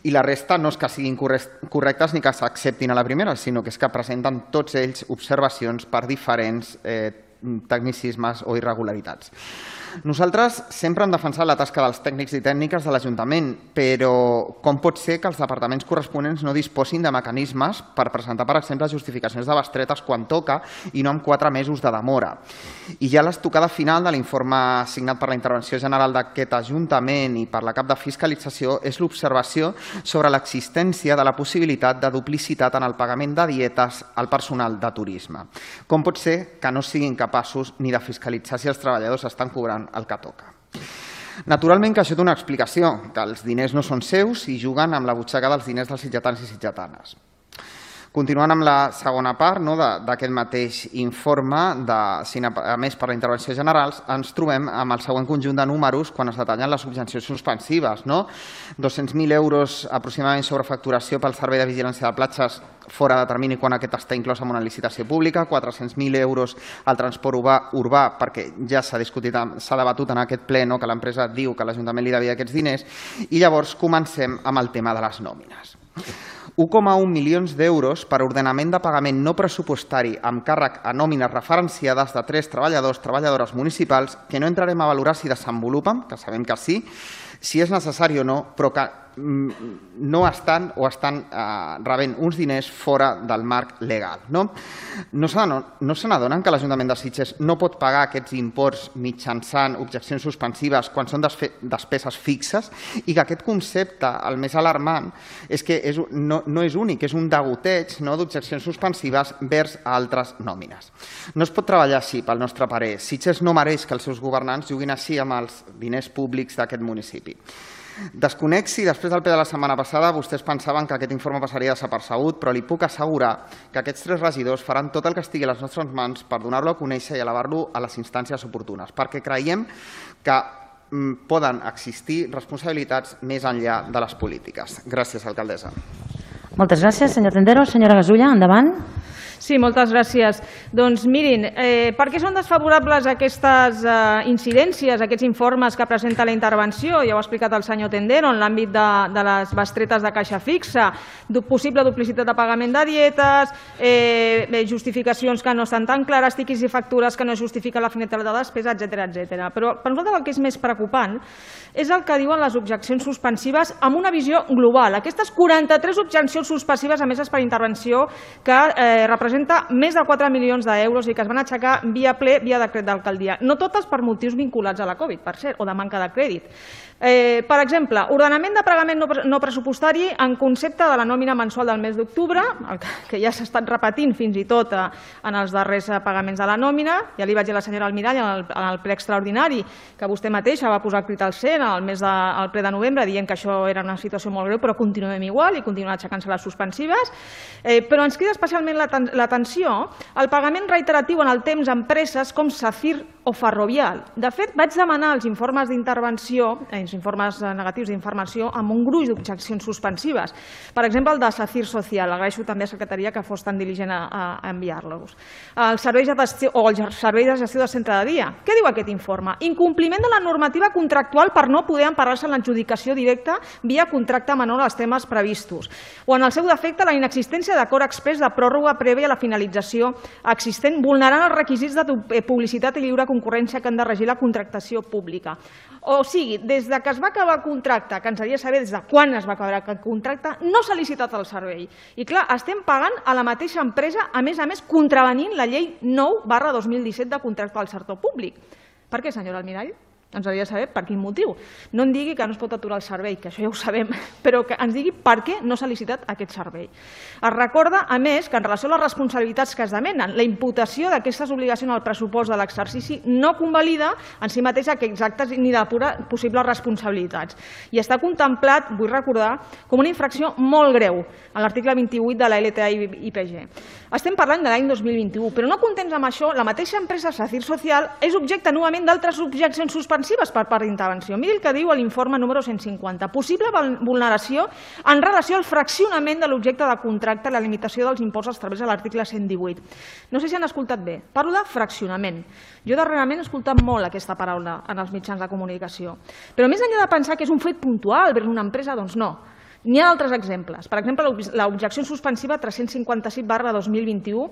I la resta no és que siguin correctes ni que s'acceptin a la primera, sinó que és que presenten tots ells observacions per diferents tecnicismes o irregularitats. Nosaltres sempre hem defensat la tasca dels tècnics i tècniques de l'Ajuntament, però com pot ser que els departaments corresponents no disposin de mecanismes per presentar, per exemple, justificacions de bestretes quan toca i no amb 4 mesos de demora? I ja l'estocada final de l'informe signat per la Intervenció General d'aquest Ajuntament i per la cap de Fiscalització és l'observació sobre l'existència de la possibilitat de duplicitat en el pagament de dietes al personal de turisme. Com pot ser que no siguin capaços ni de fiscalitzar si els treballadors estan cobrant el que toca? Naturalment que això té una explicació, que els diners no són seus i juguen amb la butxaca dels diners dels sitgetans i sitgetanes. Continuant amb la segona part d'aquest mateix informe, a més per la intervenció general, ens trobem amb el següent conjunt de números quan es detallen les objeccions suspensives. 200.000 euros aproximadament sobre facturació pel servei de vigilància de platges fora de termini quan aquest està inclòs en una licitació pública, 400.000 euros al transport urbà perquè ja s'ha debatut en aquest ple que l'empresa diu que l'Ajuntament li devia aquests diners, i llavors comencem amb el tema de les nòmines. 1,1 milions d'euros per ordenament de pagament no pressupostari amb càrrec a nòmines referenciades de 3 treballadores municipals que no entrarem a valorar si desenvolupen, que sabem que sí, si és necessari o no, però que no estan o estan rebent uns diners fora del marc legal. No se n'adonen que l'Ajuntament de Sitges no pot pagar aquests imports mitjançant objeccions suspensives quan són despeses fixes i que aquest concepte, el més alarmant, és que no és únic, és un degoteig d'objeccions suspensives vers altres nòmines. No es pot treballar així, pel nostre parer. Sitges no mereix que els seus governants juguin així amb els diners públics d'aquest municipi. Desconec si després del ple de la setmana passada vostès pensaven que aquest informe passaria desapercebut, però li puc assegurar que aquests 3 regidors faran tot el que estigui a les nostres mans per donar-lo a conèixer i elevar-lo a les instàncies oportunes, perquè creiem que poden existir responsabilitats més enllà de les polítiques. Gràcies, alcaldessa. Moltes gràcies, senyor Tendero. Senyora Gasulla, endavant. Sí, moltes gràcies. Doncs mirin, per què són desfavorables aquestes incidències, aquests informes que presenta la intervenció? Ja ho ha explicat el senyor Tendero en l'àmbit de les bestretes de caixa fixa, possible duplicitat de pagament de dietes, justificacions que no estan tan clares, tiquis i factures que no justifiquen la finalitat de despesa, etc. Però per nosaltres el que és més preocupant és el que diuen les objeccions suspensives amb una visió global. Aquestes 43 objeccions suspensives emeses per intervenció que representa més de 4 milions d'euros i que es van aixecar via ple, via decret d'alcaldia. No totes per motius vinculats a la Covid, per cert, o de manca de crèdit. Per exemple, ordenament de pagament no pressupostari en concepte de la nòmina mensual del mes d'octubre, que ja s'ha estat repetint fins i tot en els darrers pagaments de la nòmina. Ja li vaig dir a la senyora Almirall en el ple extraordinari que vostè mateixa va posar crit al cel al ple de novembre dient que això era una situació molt greu, però continuem igual i continuen aixecant-se les suspensives. Però ens crida especialment l'atenció el pagament reiteratiu en el temps a empreses com SACIR o Ferrovial. De fet, vaig demanar els informes d'intervenció, els informes negatius d'informació, amb un gruix d'objeccions suspensives. Per exemple, el de SACIR Social. Agraeixo també a la secretaria que fos tan diligent a enviar-los. El servei de gestió de centre de dia. Què diu aquest informe? Incompliment de la normativa contractual per no poder emparar-se en l'adjudicació directa via contracte menor als temes previstos. O, en el seu defecte, la inexistència d'acord exprés de pròrroga prèvia a la finalització existent, vulnerant els requisits de publicitat i lliure concurrència concurrència que han de regir la contractació pública. O sigui, des que es va acabar el contracte, que ens hauria de saber des de quan es va acabar el contracte, no s'ha licitat el servei. I clar, estem pagant a la mateixa empresa, a més, contravenint la llei 9/2017 de contracte del sector públic. Per què, senyora Almirall? Ens hauria de saber per quin motiu. No en digui que no es pot aturar el servei, que això ja ho sabem, però que ens digui per què no s'ha licitat aquest servei. Es recorda, a més, que en relació a les responsabilitats que es demenen, la imputació d'aquestes obligacions al pressupost de l'exercici no convalida en si mateix aquests actes ni depura possibles responsabilitats. I està contemplat, vull recordar, com una infracció molt greu en l'article 28 de la LTA-IPG. Estem parlant de l'any 2021, però no contents amb això, la mateixa empresa Sacir Social és objecte novament d'altres objeccions suspensives per part d'intervenció. Miri el que diu l'informe número 150. Possible vulneració en relació al fraccionament de l'objecte de contracte i la limitació dels imports establerts a l'article 118. No sé si han escoltat bé. Parlo de fraccionament. Jo darrerament he escoltat molt aquesta paraula en els mitjans de comunicació. Però més enllà de pensar que és un fet puntual vers una empresa, doncs no. N'hi ha altres exemples. Per exemple, l'objecció suspensiva 357/2021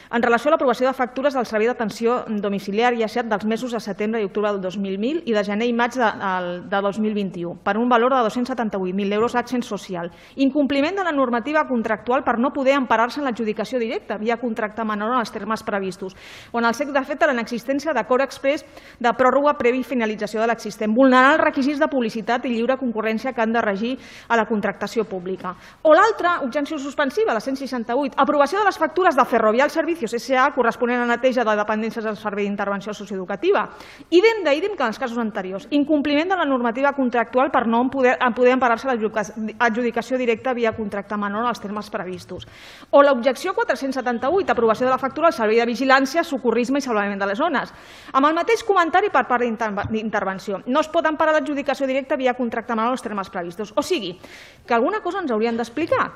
en relació a l'aprovació de factures del servei d'atenció domiciliària SEAT dels mesos de setembre i octubre del 2000 i de gener i maig de 2021 per un valor de 278.000 euros accent social. Incompliment de la normativa contractual per no poder emparar-se en l'adjudicació directa via contracte menor en els termes previstos o en el fet de la inexistència d'acord exprés de pròrroga previ finalització de l'existent, vulnerar els requisits de publicitat i lliure concurrència que han de regir a la contractació pública. O l'altra objecció suspensiva, la 168, aprovació de les factures de Ferrovial Servicios S.A. corresponent a la neteja de dependències del Servei d'Intervenció Socioeducativa. Idem que en els casos anteriors. Incompliment de la normativa contractual per no poder emparar-se a l'adjudicació directa via contracte menor als termes previstos. O l'objecció 478, aprovació de la factura al Servei de Vigilància, Socorrisme i Salvament de les Zones. Amb el mateix comentari per part d'intervenció. No es pot emparar l'adjudicació directa via contracte menor als termes previstos. O sigui, que alguna cosa ens haurien d'explicar.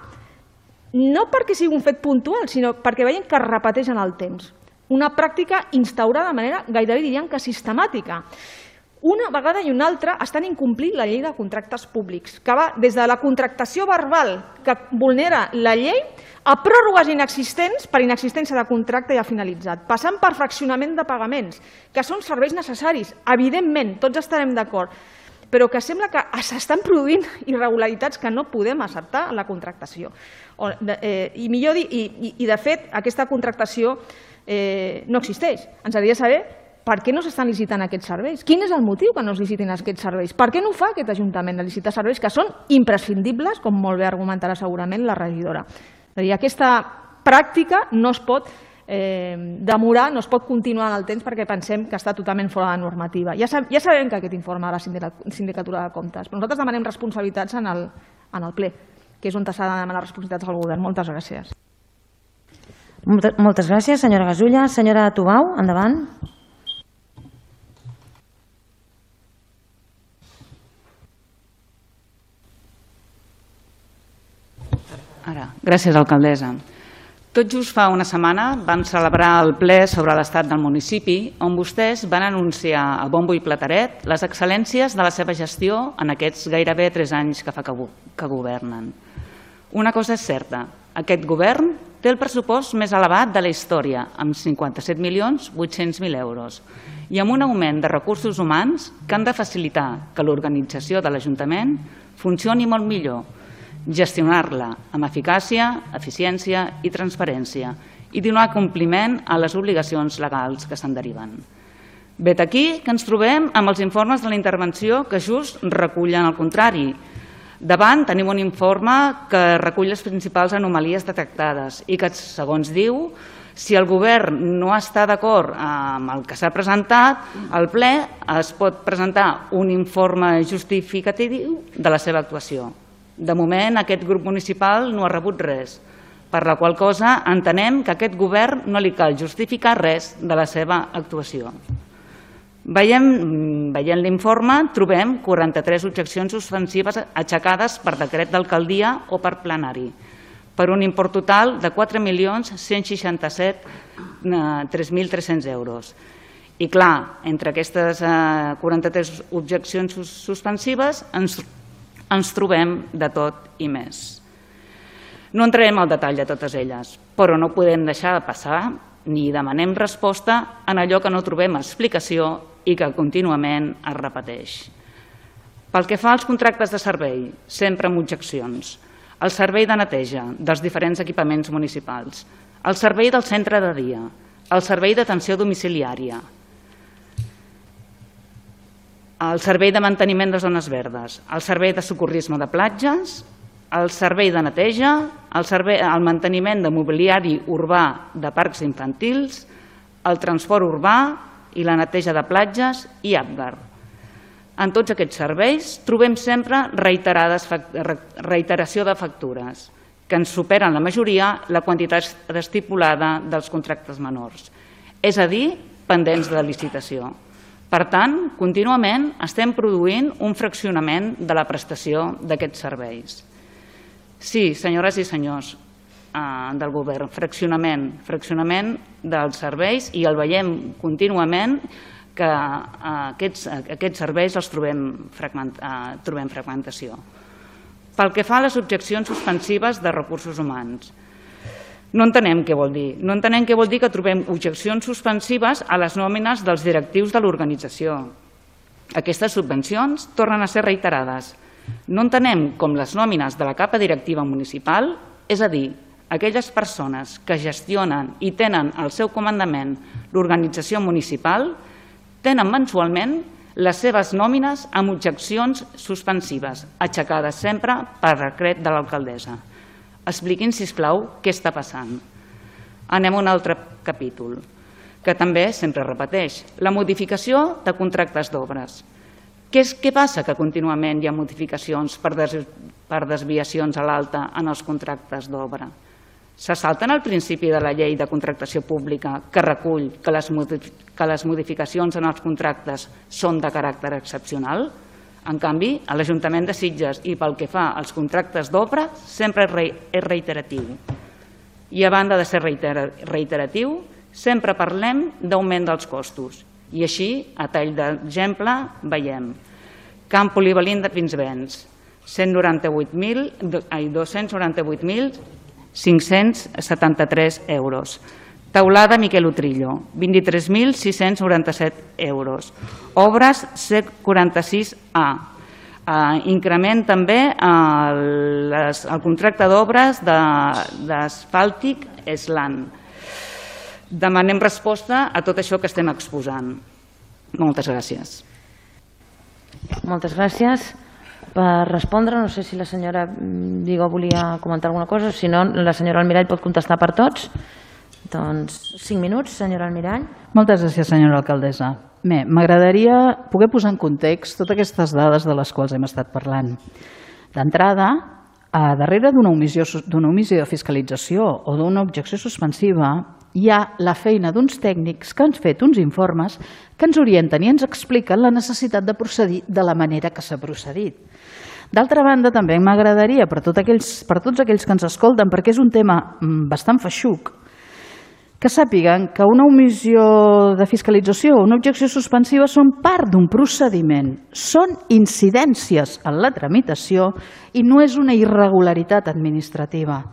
No perquè sigui un fet puntual, sinó perquè veiem que es repeteix en el temps. Una pràctica instaurada de manera gairebé diríem que sistemàtica. Una vegada i una altra estan incomplint la llei de contractes públics, que va des de la contractació verbal que vulnera la llei a pròrrogues inexistents per inexistència de contracte ja finalitzat, passant per fraccionament de pagaments, que són serveis necessaris, evidentment, tots estarem d'acord, però que sembla que s'estan produint irregularitats que no podem acceptar en la contractació. I de fet, aquesta contractació no existeix. Ens hauria de saber per què no s'estan licitant aquests serveis. Quin és el motiu que no es licitin aquests serveis? Per què no ho fa aquest Ajuntament de licitar serveis que són imprescindibles, com molt bé argumentarà segurament la regidora? Aquesta pràctica no es pot demorar, no es pot continuar en el temps perquè pensem que està totalment fora de normativa. Ja sabem que aquest informe de la Sindicatura de Comptes, però nosaltres demanem responsabilitats en el ple, que és on s'ha de demanar responsabilitats al govern. Moltes gràcies. Moltes gràcies, senyora Gasulla. Senyora Tubau, endavant. Gràcies, alcaldessa. Tot just fa una setmana vam celebrar el ple sobre l'estat del municipi on vostès van anunciar a bombo i plateret les excel·lències de la seva gestió en aquests gairebé 3 anys que fa que governen. Una cosa és certa, aquest govern té el pressupost més elevat de la història, amb 57.800.000 euros, i amb un augment de recursos humans que han de facilitar que l'organització de l'Ajuntament funcioni molt millor, gestionar-la amb eficàcia, eficiència i transparència i donar compliment a les obligacions legals que se'n deriven. Vet aquí que ens trobem amb els informes de la intervenció que just recullen el contrari. Davant tenim un informe que recull les principals anomalies detectades i que, segons diu, si el govern no està d'acord amb el que s'ha presentat, al ple es pot presentar un informe justificatiu de la seva actuació. De moment, aquest grup municipal no ha rebut res, per la qual cosa entenem que a aquest govern no li cal justificar res de la seva actuació. Veient l'informe, trobem 43 objeccions suspensives aixecades per decret d'alcaldia o per plenari, per un import total de 4.167.300 euros. I clar, entre aquestes 43 objeccions suspensives ens trobem de tot i més. No entrarem al detall de totes elles, però no podem deixar de passar ni demanem resposta en allò que no trobem explicació i que contínuament es repeteix. Pel que fa als contractes de servei, sempre amb objeccions. El servei de neteja dels diferents equipaments municipals, el servei del centre de dia, el servei d'atenció domiciliària, el servei de manteniment de zones verdes, el servei de socorrisme de platges, el servei de neteja, el manteniment de mobiliari urbà de parcs infantils, el transport urbà i la neteja de platges i APGAR. En tots aquests serveis trobem sempre reiteració de factures, que ens superen la majoria la quantitat estipulada dels contractes menors, és a dir, pendents de licitació. Per tant, contínuament estem produint un fraccionament de la prestació d'aquests serveis. Sí, senyores i senyors del govern, fraccionament dels serveis, i el veiem contínuament que aquests serveis els trobem fragmentació. Pel que fa a les objeccions suspensives de recursos humans, no entenem què vol dir. No entenem què vol dir que trobem objeccions suspensives a les nòmines dels directius de l'organització. Aquestes subvencions tornen a ser reiterades. No entenem com les nòmines de la capa directiva municipal, és a dir, aquelles persones que gestionen i tenen al seu comandament l'organització municipal, tenen mensualment les seves nòmines amb objeccions suspensives, aixecades sempre per decret de l'alcaldessa. Expliquin, sisplau, què està passant. Anem a un altre capítol, que també sempre repeteix, la modificació de contractes d'obres. Què passa que contínuament hi ha modificacions per desviacions a l'alta en els contractes d'obra? Se salten el principi de la llei de contractació pública que recull que les modificacions en els contractes són de caràcter excepcional? En canvi, a l'Ajuntament de Sitges i pel que fa als contractes d'obra sempre és reiteratiu. I a banda de ser reiteratiu, sempre parlem d'augment dels costos. I així, a tall d'exemple, veiem Camp Polivalent de Pinsbens, 298.573 euros. Teulada Miquel Utrillo, 23.697 euros. Obres C46A. Increment també el contracte d'obres d'asfàltic Eslan. Demanem resposta a tot això que estem exposant. Moltes gràcies. Moltes gràcies. Per respondre, no sé si la senyora Vigo volia comentar alguna cosa, o si no, la senyora Almirall pot contestar per tots. Doncs 5 minuts, senyora Almirall. Moltes gràcies, senyora alcaldessa. Bé, m'agradaria poder posar en context totes aquestes dades de les quals hem estat parlant. D'entrada, darrere d'una omissió de fiscalització o d'una objecció suspensiva hi ha la feina d'uns tècnics que han fet uns informes que ens orienten i ens expliquen la necessitat de procedir de la manera que s'ha procedit. D'altra banda, també m'agradaria, per tots aquells que ens escolten, perquè és un tema bastant feixuc, que sàpiguen que una omissió de fiscalització o una objecció suspensiva són part d'un procediment, són incidències en la tramitació i no és una irregularitat administrativa.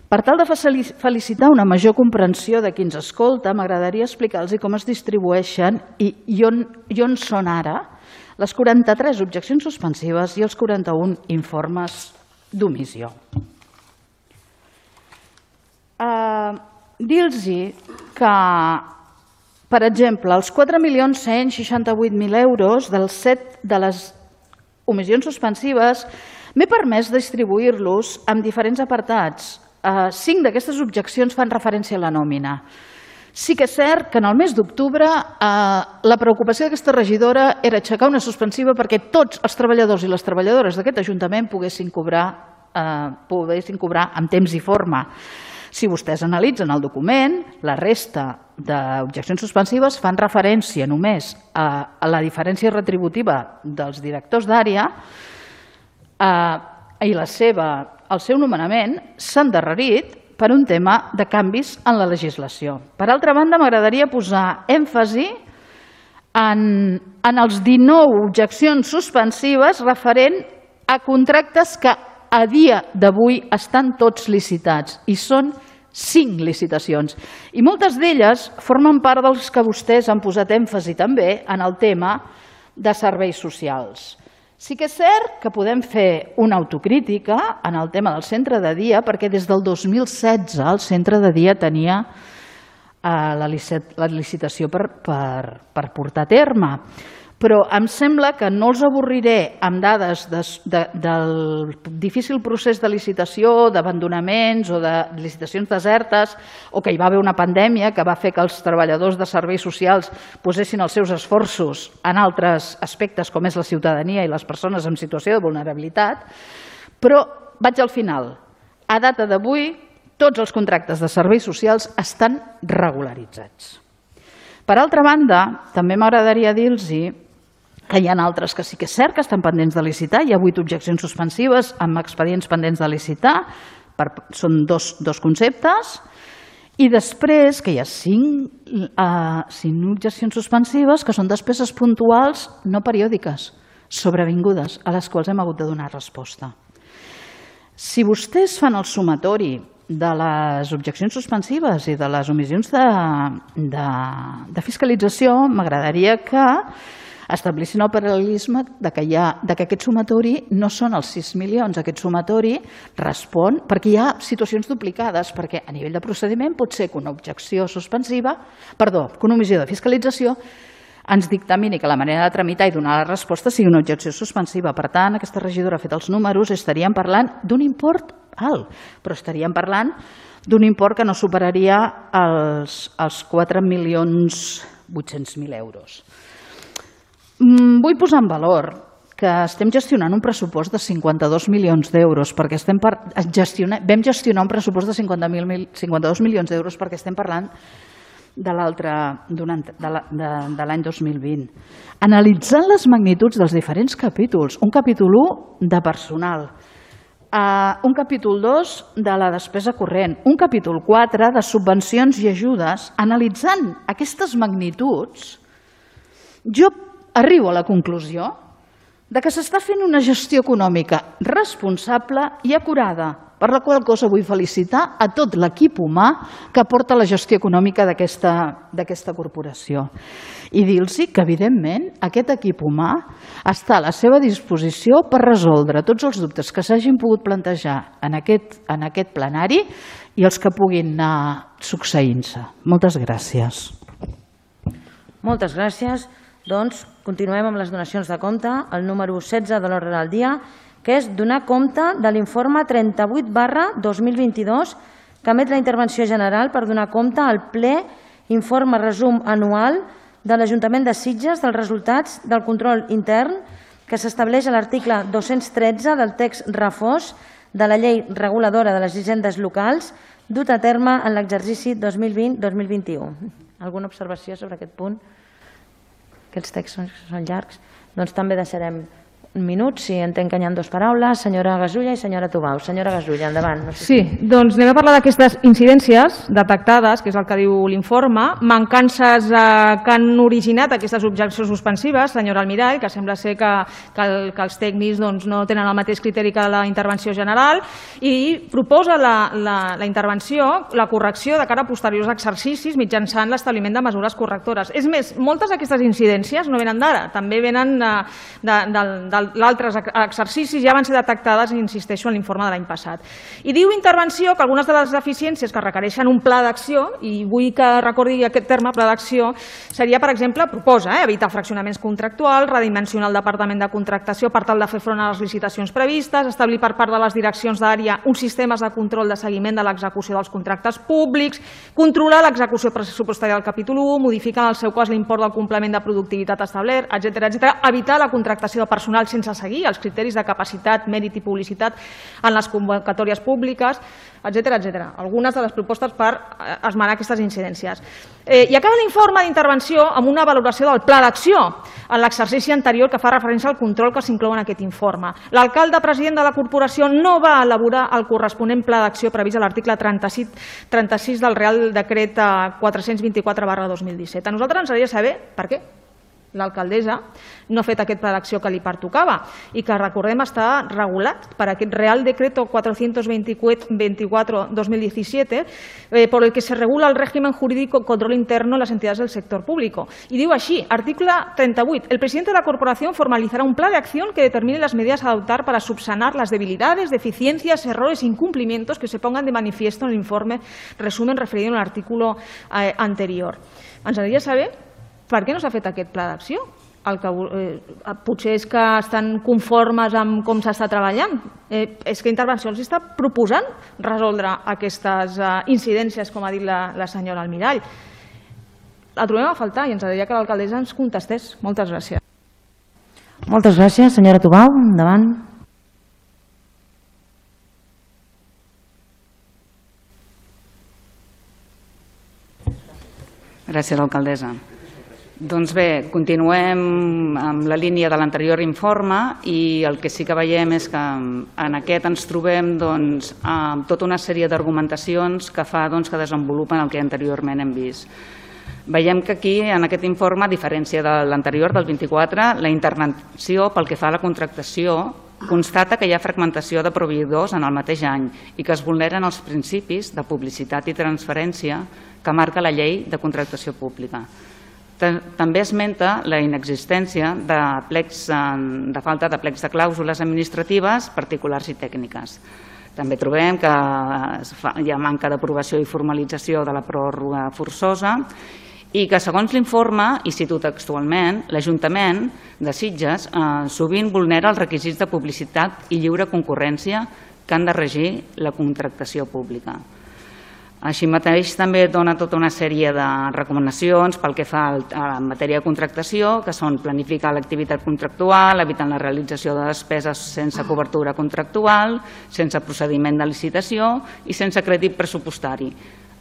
Per tal de felicitar una major comprensió de qui ens escolta, m'agradaria explicar-los com es distribueixen i on són ara les 43 objeccions suspensives i els 41 informes d'omissió. Dir-los que, per exemple, els 4.168.000 euros dels 7 de les omissions suspensives m'he permès distribuir-los en diferents apartats. 5 d'aquestes objeccions fan referència a la nòmina. Sí que és cert que en el mes d'octubre la preocupació d'aquesta regidora era aixecar una suspensiva perquè tots els treballadors i les treballadores d'aquest Ajuntament poguessin cobrar en temps i forma. Si vostès analitzen el document, la resta d'objeccions suspensives fan referència només a la diferència retributiva dels directors d'àrea i el seu nomenament s'ha endarrerit per un tema de canvis en la legislació. Per altra banda, m'agradaria posar èmfasi en els 19 objeccions suspensives referent a contractes que a dia d'avui estan tots licitats i són 5 licitacions. I moltes d'elles formen part dels que vostès han posat èmfasi també en el tema de serveis socials. Sí que és cert que podem fer una autocrítica en el tema del centre de dia, perquè des del 2016 el centre de dia tenia la licitació per portar a terme. Però em sembla que no els avorriré amb dades del difícil procés de licitació, d'abandonaments o de licitacions desertes, o que hi va haver una pandèmia que va fer que els treballadors de serveis socials posessin els seus esforços en altres aspectes com és la ciutadania i les persones en situació de vulnerabilitat. Però vaig al final. A data d'avui, tots els contractes de serveis socials estan regularitzats. Per altra banda, també m'agradaria dir-los que hi ha altres que sí que és cert que estan pendents de licitar. Hi ha 8 objeccions suspensives amb expedients pendents de licitar. Són dos conceptes. I després que hi ha 5 objeccions suspensives que són despeses puntuals no periòdiques, sobrevingudes, a les quals hem hagut de donar resposta. Si vostès fan el sumatori de les objeccions suspensives i de les omissions de fiscalització, m'agradaria que establissin el paral·lelisme que aquest sumatori no són els 6 milions. Aquest sumatori respon perquè hi ha situacions duplicades, perquè a nivell de procediment pot ser que una objecció suspensiva, que una omissió de fiscalització ens dictamini que la manera de tramitar i donar la resposta sigui una objecció suspensiva. Per tant, aquesta regidora ha fet els números, estaríem parlant d'un import alt, però estaríem parlant d'un import que no superaria els 4.800.000 euros. Vull posar en valor que estem gestionant un pressupost de 52 milions d'euros, perquè vam gestionar un pressupost de 52 milions d'euros perquè estem parlant de l'any 2020. Analitzant les magnituds dels diferents capítols, un capítol 1 de personal, un capítol 2 de la despesa corrent, un capítol 4 de subvencions i ajudes, analitzant aquestes magnituds, jo arribo a la conclusió que s'està fent una gestió econòmica responsable i acurada, per la qual cosa vull felicitar a tot l'equip humà que porta la gestió econòmica d'aquesta corporació. I dir-los que, evidentment, aquest equip humà està a la seva disposició per resoldre tots els dubtes que s'hagin pogut plantejar en aquest plenari i els que puguin anar succeint-se. Moltes gràcies. Moltes gràcies. Doncs continuem amb les donacions de compte, el número 16 de l'ordre del dia, que és donar compte de l'informe 38/2022 que emet la intervenció general per donar compte al ple informe resum anual de l'Ajuntament de Sitges dels resultats del control intern que s'estableix a l'article 213 del text refós de la llei reguladora de les hisendes locals dut a terme en l'exercici 2020-2021. Alguna observació sobre aquest punt? Aquests textos són llargs. Doncs també deixarem un minut, si entenc que hi ha dues paraules, senyora Gasulla i senyora Tubau. Senyora Gasulla, endavant. Sí, doncs anem a parlar d'aquestes incidències detectades, que és el que diu l'informe, mancances que han originat aquestes objeccions suspensives, senyora Almirall, que sembla ser que els tècnics no tenen el mateix criteri que la intervenció general, i proposa la intervenció, la correcció de cara a posteriors exercicis mitjançant l'establiment de mesures correctores. És més, moltes d'aquestes incidències no venen d'ara, també venen d'altres exercicis, ja van ser detectades, insisteixo, en l'informe de l'any passat. I diu intervenció que algunes de les deficiències que requereixen un pla d'acció, i vull que recordi aquest terme, pla d'acció, seria, per exemple, proposa evitar fraccionaments contractuals, redimensionar el departament de contractació per tal de fer front a les licitacions previstes, establir per part de les direccions d'àrea uns sistemes de control de seguiment de l'execució dels contractes públics, controlar l'execució pressupostària del capítol 1, modificar en el seu cas l'import del complement de productivitat establert, etc. Evitar la contractació de personal sense seguir els criteris de capacitat, mèrit i publicitat en les convocatòries públiques, etc. Algunes de les propostes per esmenar aquestes incidències. I acaba l'informe d'intervenció amb una valoració del pla d'acció en l'exercici anterior que fa referència al control que s'inclou en aquest informe. L'alcalde president de la corporació no va elaborar el corresponent pla d'acció previst a l'article 36 del Real Decret 424/2017. A nosaltres ens agradaria saber per què. l'alcaldessa no ha fet aquest pla d'acció que li pertocava i que, recordem, està regulat per aquest Real Decreto 424-2017 por el que se regula el régimen jurídico control interno en las entidades del sector público. Y digo así, artículo 38, el presidente de la corporación formalizará un plan de acción que determine las medidas a adoptar para subsanar las debilidades, deficiencias, errores e incumplimientos que se pongan de manifiesto en el informe resumen referido en l'article anterior. Ens agradaria saber per què no s'ha fet aquest pla d'acció. Potser és que estan conformes amb com s'està treballant. És que Intervenció els està proposant resoldre aquestes incidències, com ha dit la senyora Almirall. La trobem a faltar i ens agradaria que l'alcaldessa ens contestés. Moltes gràcies. Moltes gràcies. Senyora Tubau, endavant. Gràcies, alcaldessa. Doncs bé, continuem amb la línia de l'anterior informe i el que sí que veiem és que en aquest ens trobem amb tota una sèrie d'argumentacions que fa que desenvolupen el que anteriorment hem vist. Veiem que aquí, en aquest informe, a diferència de l'anterior, del 24, la intervenció pel que fa a la contractació constata que hi ha fragmentació de proveïdors en el mateix any i que es vulneren els principis de publicitat i transferència que marca la llei de contractació pública. També esmenta la inexistència de falta de plecs de clàusules administratives, particulars i tècniques. També trobem que hi ha manca d'aprovació i formalització de la pròrroga forçosa i que, segons l'informe, i cito textualment, l'Ajuntament de Sitges sovint vulnera els requisits de publicitat i lliure concurrència que han de regir la contractació pública. Així mateix també dona tota una sèrie de recomanacions pel que fa a matèria de contractació, que són planificar l'activitat contractual, evitant la realització de despeses sense cobertura contractual, sense procediment de licitació i sense crèdit pressupostari,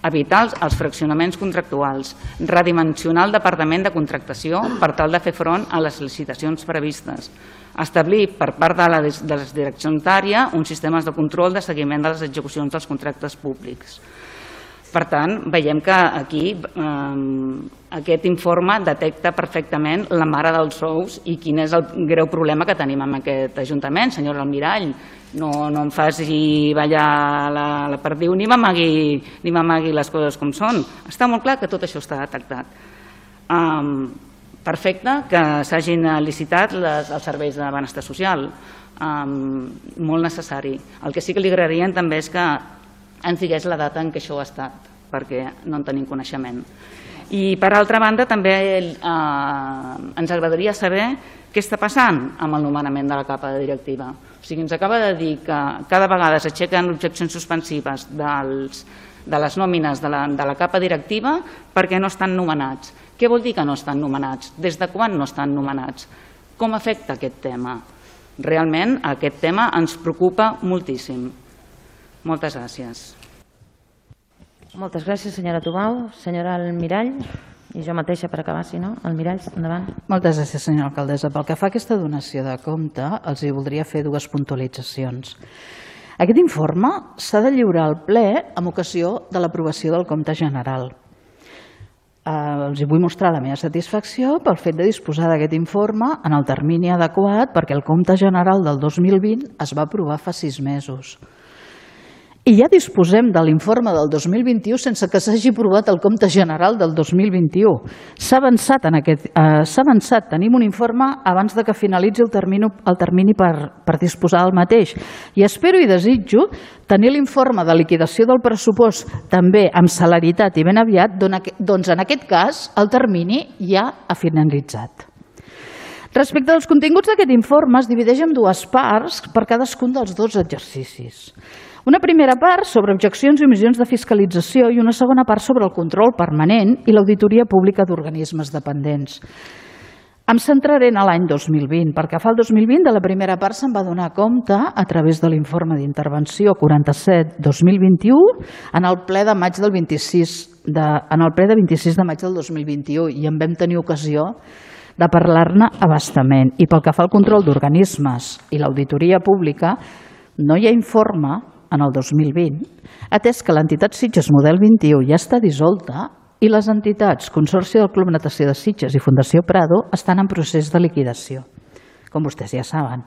evitar els fraccionaments contractuals, redimensionar el departament de contractació per tal de fer front a les licitacions previstes, establir per part de la direcció unitària uns sistemes de control de seguiment de les execucions dels contractes públics. Per tant, veiem que aquí aquest informe detecta perfectament la mare dels ous i quin és el greu problema que tenim amb aquest Ajuntament. Senyora Almirall, no em faci ballar la perdiu ni m'amagui les coses com són. Està molt clar que tot això està detectat. Perfecte que s'hagin licitat els serveis de benestar social, molt necessari. El que sí que li agradaria també és que ens digués la data en què això ha estat, perquè no en tenim coneixement. I per altra banda també ens agradaria saber què està passant amb el nomenament de la capa directiva. O sigui, ens acaba de dir que cada vegada s'aixequen objeccions suspensives de les nòmines de la capa directiva perquè no estan nomenats. Què vol dir que no estan nomenats? Des de quan no estan nomenats? Com afecta aquest tema? Realment aquest tema ens preocupa moltíssim. Moltes gràcies. Moltes gràcies, senyora Tubau. Senyora Almirall, i jo mateixa per acabar, si no. Almirall, endavant. Moltes gràcies, senyora alcaldessa. Pel que fa a aquesta donació de compte, els hi voldria fer dues puntualitzacions. Aquest informe s'ha de lliurar al ple en ocasió de l'aprovació del compte general. Els vull mostrar la meva satisfacció pel fet de disposar d'aquest informe en el termini adequat perquè el compte general del 2020 es va aprovar fa 6 mesos. I ja disposem de l'informe del 2021 sense que s'hagi aprovat el compte general del 2021. S'ha avançat, tenim un informe abans de que finalitzi el termini per disposar del mateix. I espero i desitjo tenir l'informe de liquidació del pressupost també amb celeritat i ben aviat, doncs en aquest cas el termini ja ha finalitzat. Respecte als continguts d'aquest informe es divideix en 2 parts per cadascun dels 2 exercicis. Una primera part sobre objeccions i omissions de fiscalització i una segona part sobre el control permanent i l'auditoria pública d'organismes dependents. Em centraré en l'any 2020. Perquè fa el 2020 de la primera part se'n va donar compte a través de l'informe d'intervenció 47-2021 en el ple de 26 de maig del 2021 i en vam tenir ocasió de parlar-ne a bastament. I pel que fa al control d'organismes i l'auditoria pública, no hi ha informe en el 2020, atès que l'entitat Sitges Model 21 ja està dissolta i les entitats Consorci del Club Natació de Sitges i Fundació Prado estan en procés de liquidació, com vostès ja saben.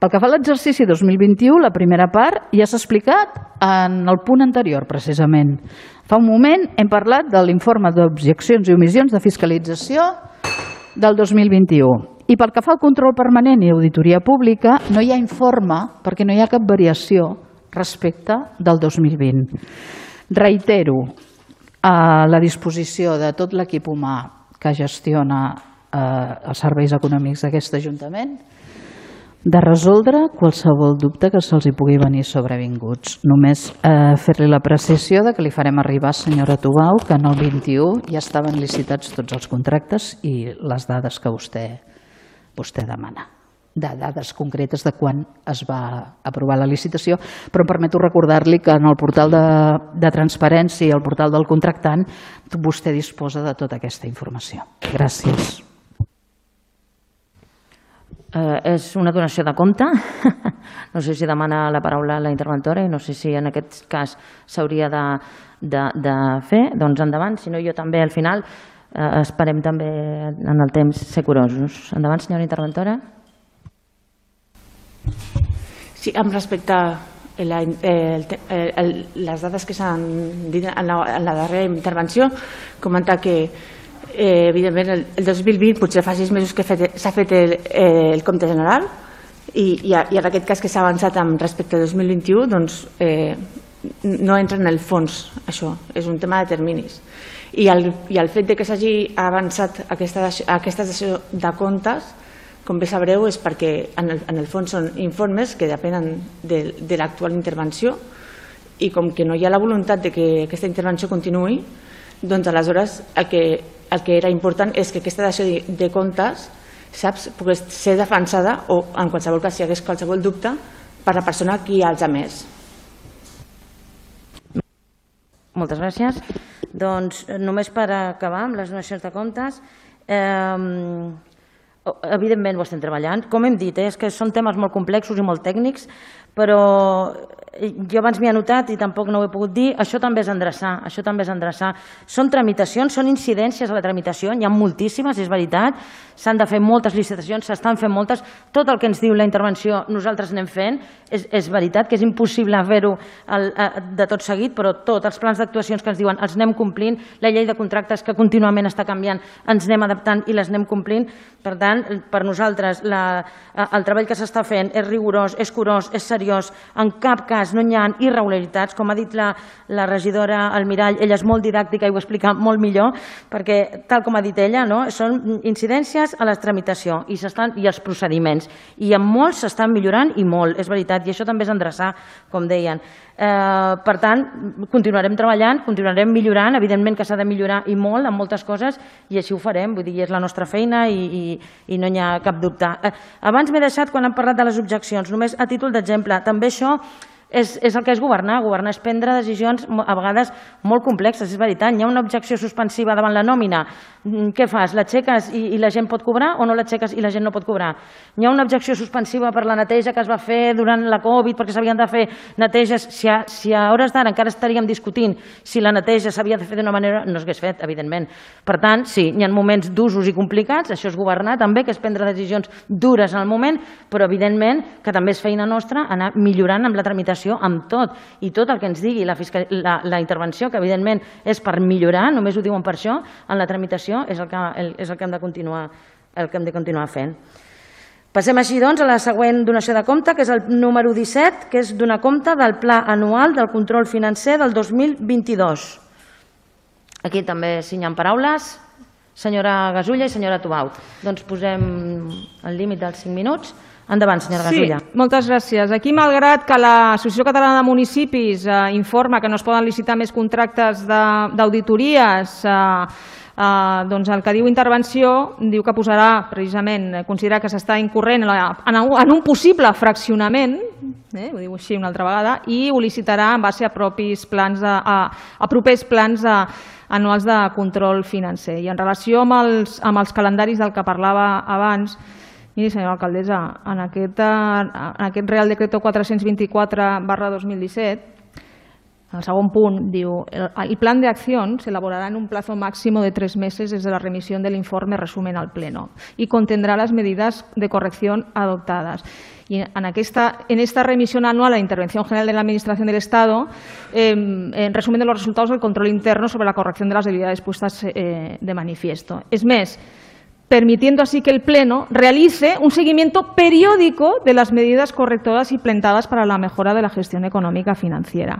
Pel que fa a l'exercici 2021, la primera part ja s'ha explicat en el punt anterior, precisament. Fa un moment hem parlat de l'informe d'objeccions i omissions de fiscalització del 2021. I pel que fa al control permanent i auditoria pública, no hi ha informe perquè no hi ha cap variació respecte del 2020. Reitero a la disposició de tot l'equip humà que gestiona els serveis econòmics d'aquest Ajuntament de resoldre qualsevol dubte que se'ls pugui venir sobrevinguts. Només fer-li l'apreciació que li farem arribar, senyora Tubau, que en el 21 ja estaven licitats tots els contractes i les dades que vostè demana, de dades concretes de quan es va aprovar la licitació, però em permeto recordar-li que en el portal de transparència i el portal del contractant vostè disposa de tota aquesta informació. Gràcies. És una donació de compte. No sé si demana la paraula la interventora i no sé si en aquest cas s'hauria de fer. Doncs endavant, si no jo també al final esperem també en el temps ser curosos. Endavant, senyora interventora. Sí, amb respecte a les dades que s'han dit en la darrera intervenció, comentar que evidentment el 2020 potser fa 6 mesos que s'ha fet el compte general i en aquest cas que s'ha avançat respecte al 2021 doncs no entra en el fons això, és un tema de terminis i el fet que s'hagi avançat aquesta dació de comptes, com bé sabreu, és perquè en el fons són informes que depenen de l'actual intervenció i com que no hi ha la voluntat de que aquesta intervenció continuï, doncs aleshores el que era important és que aquesta dació de comptes pogués ser defensada o en qualsevol cas si hi hagués qualsevol dubte per la persona que els ha emès. Moltes gràcies. Doncs només per acabar amb les donacions de comptes, evidentment ho estem treballant. Com hem dit, és que són temes molt complexos i molt tècnics, però jo abans m'hi he anotat i tampoc no ho he pogut dir, això també és endreçar, Són tramitacions, són incidències a la tramitació, n'hi ha moltíssimes, és veritat, s'han de fer moltes licitacions, s'estan fent moltes, tot el que ens diu la intervenció nosaltres anem fent, és veritat que és impossible fer-ho de tot seguit, però tots els plans d'actuacions que ens diuen els anem complint, la llei de contractes que contínuament està canviant, ens anem adaptant i les anem complint, per tant, per nosaltres el treball que s'està fent és rigorós, és curós, és seriós, en cap cas no hi ha irregularitats, com ha dit la regidora Almirall, ella és molt didàctica i ho explica molt millor, perquè tal com ha dit ella, són incidències a la tramitació i els procediments, i en molts s'estan millorant i molt, és veritat, i això també és endreçar, com deien. Per tant, continuarem treballant, continuarem millorant, evidentment que s'ha de millorar i molt en moltes coses i així ho farem, vull dir, és la nostra feina i no hi ha cap dubte. Abans m'he deixat, quan hem parlat de les objeccions, només a títol d'exemple, també això és el que és governar. Governar és prendre decisions a vegades molt complexes, és veritat. Hi ha una objecció suspensiva davant la nòmina. Què fas? L'aixeques i la gent pot cobrar o no l'aixeques i la gent no pot cobrar? Hi ha una objecció suspensiva per la neteja que es va fer durant la Covid perquè s'havien de fer neteges. Si a hores d'ara encara estaríem discutint si la neteja s'havia de fer d'una manera, no s'hagués fet, evidentment. Per tant, sí, hi ha moments durs i complicats, això és governar també, que és prendre decisions dures en el moment, però evidentment que també és feina nostra anar millorant amb la tramitació, amb tot, i tot el que ens digui la intervenció, que evidentment és per millorar, només ho diuen per això, en la tramitació és el que hem de continuar fent. Passem així, doncs, a la següent donació de compte, que és el número 17, que és donar compte del Pla Anual del Control Financer del 2022. Aquí també signen paraules, senyora Gasulla i senyora Tubau. Doncs posem el límit dels 5 minuts. Endavant, senyora Gasulla. Sí, moltes gràcies. Aquí, malgrat que l'Associació Catalana de Municipis informa que no es poden licitar més contractes d'auditories, doncs el que diu intervenció diu que posarà, precisament, considerar que s'està incorrent en un possible fraccionament, ho diu així una altra vegada, i ho licitarà en base a propers plans anuals de control financer. I en relació amb els calendaris del que parlava abans, miri, senyora alcaldessa, en aquest Real Decreto 424/2017 En el segon punt diu, el plan de acción se elaborará en un plazo máximo de 3 meses desde la remisión del informe resumen al Pleno y contendrá las medidas de corrección adoptadas. Y en esta remisión anual a la Intervención General de la Administración del Estado, en resumen de los resultados del control interno sobre la corrección de las debilidades puestas de manifiesto. Es més, permitiendo así que el Pleno realice un seguimiento periódico de las medidas correctoras implementadas para la mejora de la gestión econòmica financiera.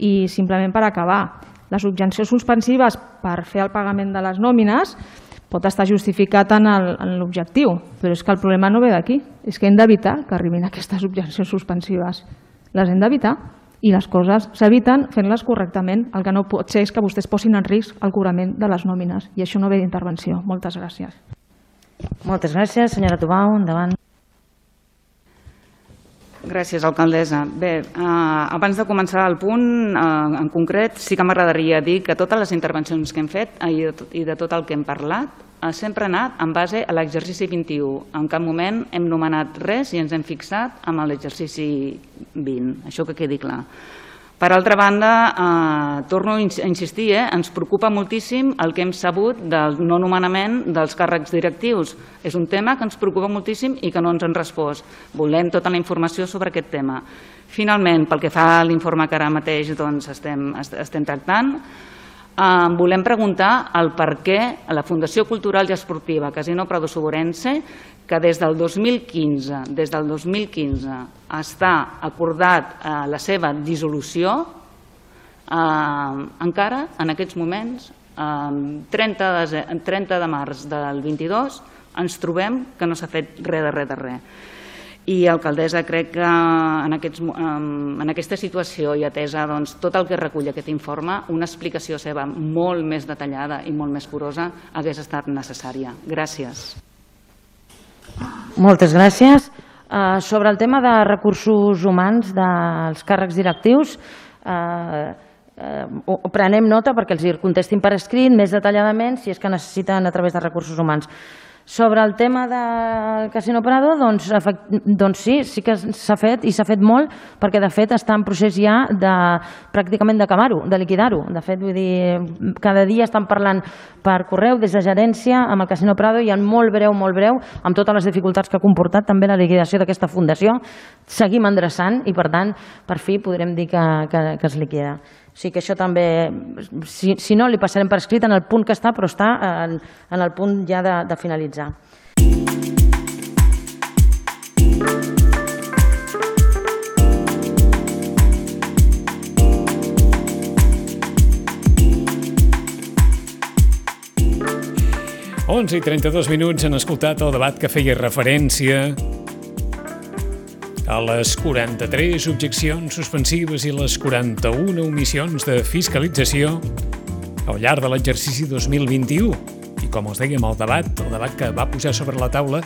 I simplement per acabar, les objeccions suspensives per fer el pagament de les nòmines pot estar justificat en l'objectiu, però és que el problema no ve d'aquí, és que hem d'evitar que arribin aquestes objeccions suspensives. Les hem d'evitar i les coses s'eviten fent-les correctament. El que no pot ser és que vostès posin en risc el cobrament de les nòmines i això no ve d'intervenció. Moltes gràcies. Moltes gràcies. Senyora Tubau, endavant. Gràcies, alcaldessa. Bé, abans de començar el punt, en concret, sí que m'agradaria dir que totes les intervencions que hem fet i de tot el que hem parlat sempre ha anat en base a l'exercici 21. En cap moment hem nomenat res i ens hem fixat en l'exercici 20. Això que quedi clar. Per altra banda, torno a insistir, ens preocupa moltíssim el que hem sabut del no nomenament dels càrrecs directius. És un tema que ens preocupa moltíssim i que no ens han respost. Volem tota la informació sobre aquest tema. Finalment, pel que fa a l'informe que ara mateix estem tractant, volem preguntar el per què a la Fundació Cultural i Esportiva Casino Prado Soborense, que des del 2015 està acordat la seva dissolució, encara en aquests moments, 30 de març del 22, ens trobem que no s'ha fet res de res. I, alcaldessa, crec que en aquesta situació i atesa tot el que recull aquest informe, una explicació seva molt més detallada i molt més curosa hagués estat necessària. Gràcies. Moltes gràcies. Sobre el tema de recursos humans dels càrrecs directius, prenem nota perquè els hi contestin per escrit més detalladament si és que necessiten a través de recursos humans. Sobre el tema del Casino Prado, doncs sí que s'ha fet i s'ha fet molt perquè de fet està en procés ja pràcticament d'acabar-ho, de liquidar-ho. De fet, vull dir, cada dia estan parlant per correu des de gerència amb el Casino Prado i en molt breu, amb totes les dificultats que ha comportat també la liquidació d'aquesta fundació, seguim endreçant i per tant, per fi podrem dir que es liquida. Sí que això també, si no, li passarem per escrit en el punt que està, però està en el punt ja de finalitzar. I 32 minuts han escoltat el debat que feia referència a les 43 objeccions suspensives i les 41 omissions de fiscalització al llarg de l'exercici 2021. I com us dèiem, el debat que va posar sobre la taula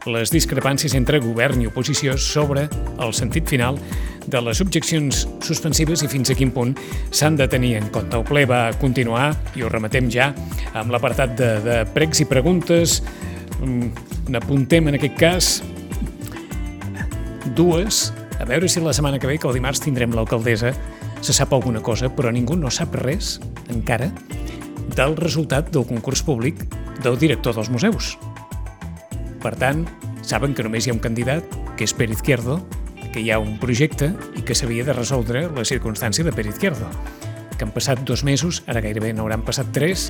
les discrepàncies entre govern i oposició sobre el sentit final de les objeccions suspensives i fins a quin punt s'han de tenir en compte. El ple va continuar i ho rematem ja amb l'apartat de pregs i preguntes. N'apuntem en aquest cas dues, a veure si la setmana que ve, que el dimarts tindrem l'alcaldessa, se sap alguna cosa, però ningú no sap res, encara, del resultat del concurs públic del director dels museus. Per tant, saben que només hi ha un candidat, que és Pere Izquierdo, que hi ha un projecte i que s'havia de resoldre la circumstància de Pere Izquierdo. Que han passat 2 mesos, ara gairebé n'hauran passat 3,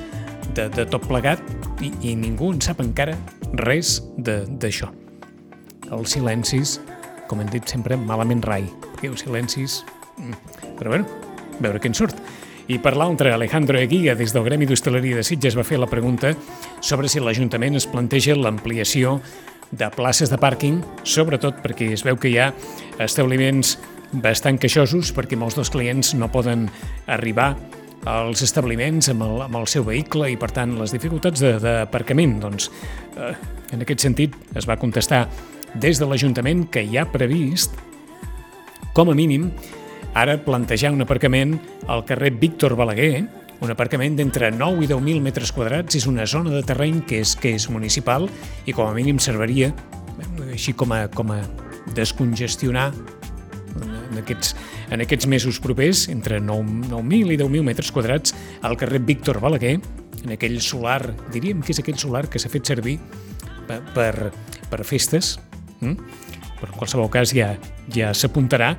de tot plegat, i ningú en sap encara res d'això. Els silencis, com hem dit sempre, malament rai, perquè els silencis... Però bueno, veure què en surt. I per l'altre, Alejandro Eguía, des del Gremi d'Hostaleria de Sitges, va fer la pregunta sobre si l'Ajuntament es planteja l'ampliació de places de pàrquing, sobretot perquè es veu que hi ha establiments bastant queixosos, perquè molts dels clients no poden arribar als establiments amb el seu vehicle i, per tant, les dificultats d'aparcament. Doncs, en aquest sentit, es va contestar des de l'Ajuntament que hi ha previst, com a mínim, ara plantejar un aparcament al carrer Víctor Balaguer, un aparcament d'entre 9 i 10.000 metres quadrats. És una zona de terreny que és municipal i com a mínim serviria així com a descongestionar en aquests mesos propers, entre 9.000 i 10.000 metres quadrats, al carrer Víctor Balaguer, en aquell solar, diríem que és aquell solar que s'ha fet servir per festes, però en qualsevol cas ja s'apuntarà,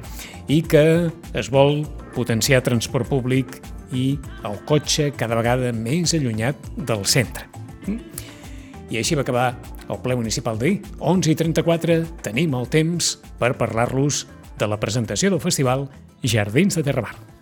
i que es vol potenciar transport públic i el cotxe cada vegada més allunyat del centre. I així va acabar el ple municipal d'ahir. 11:34, tenim el temps per parlar-los de la presentació del festival Jardins de Terramar.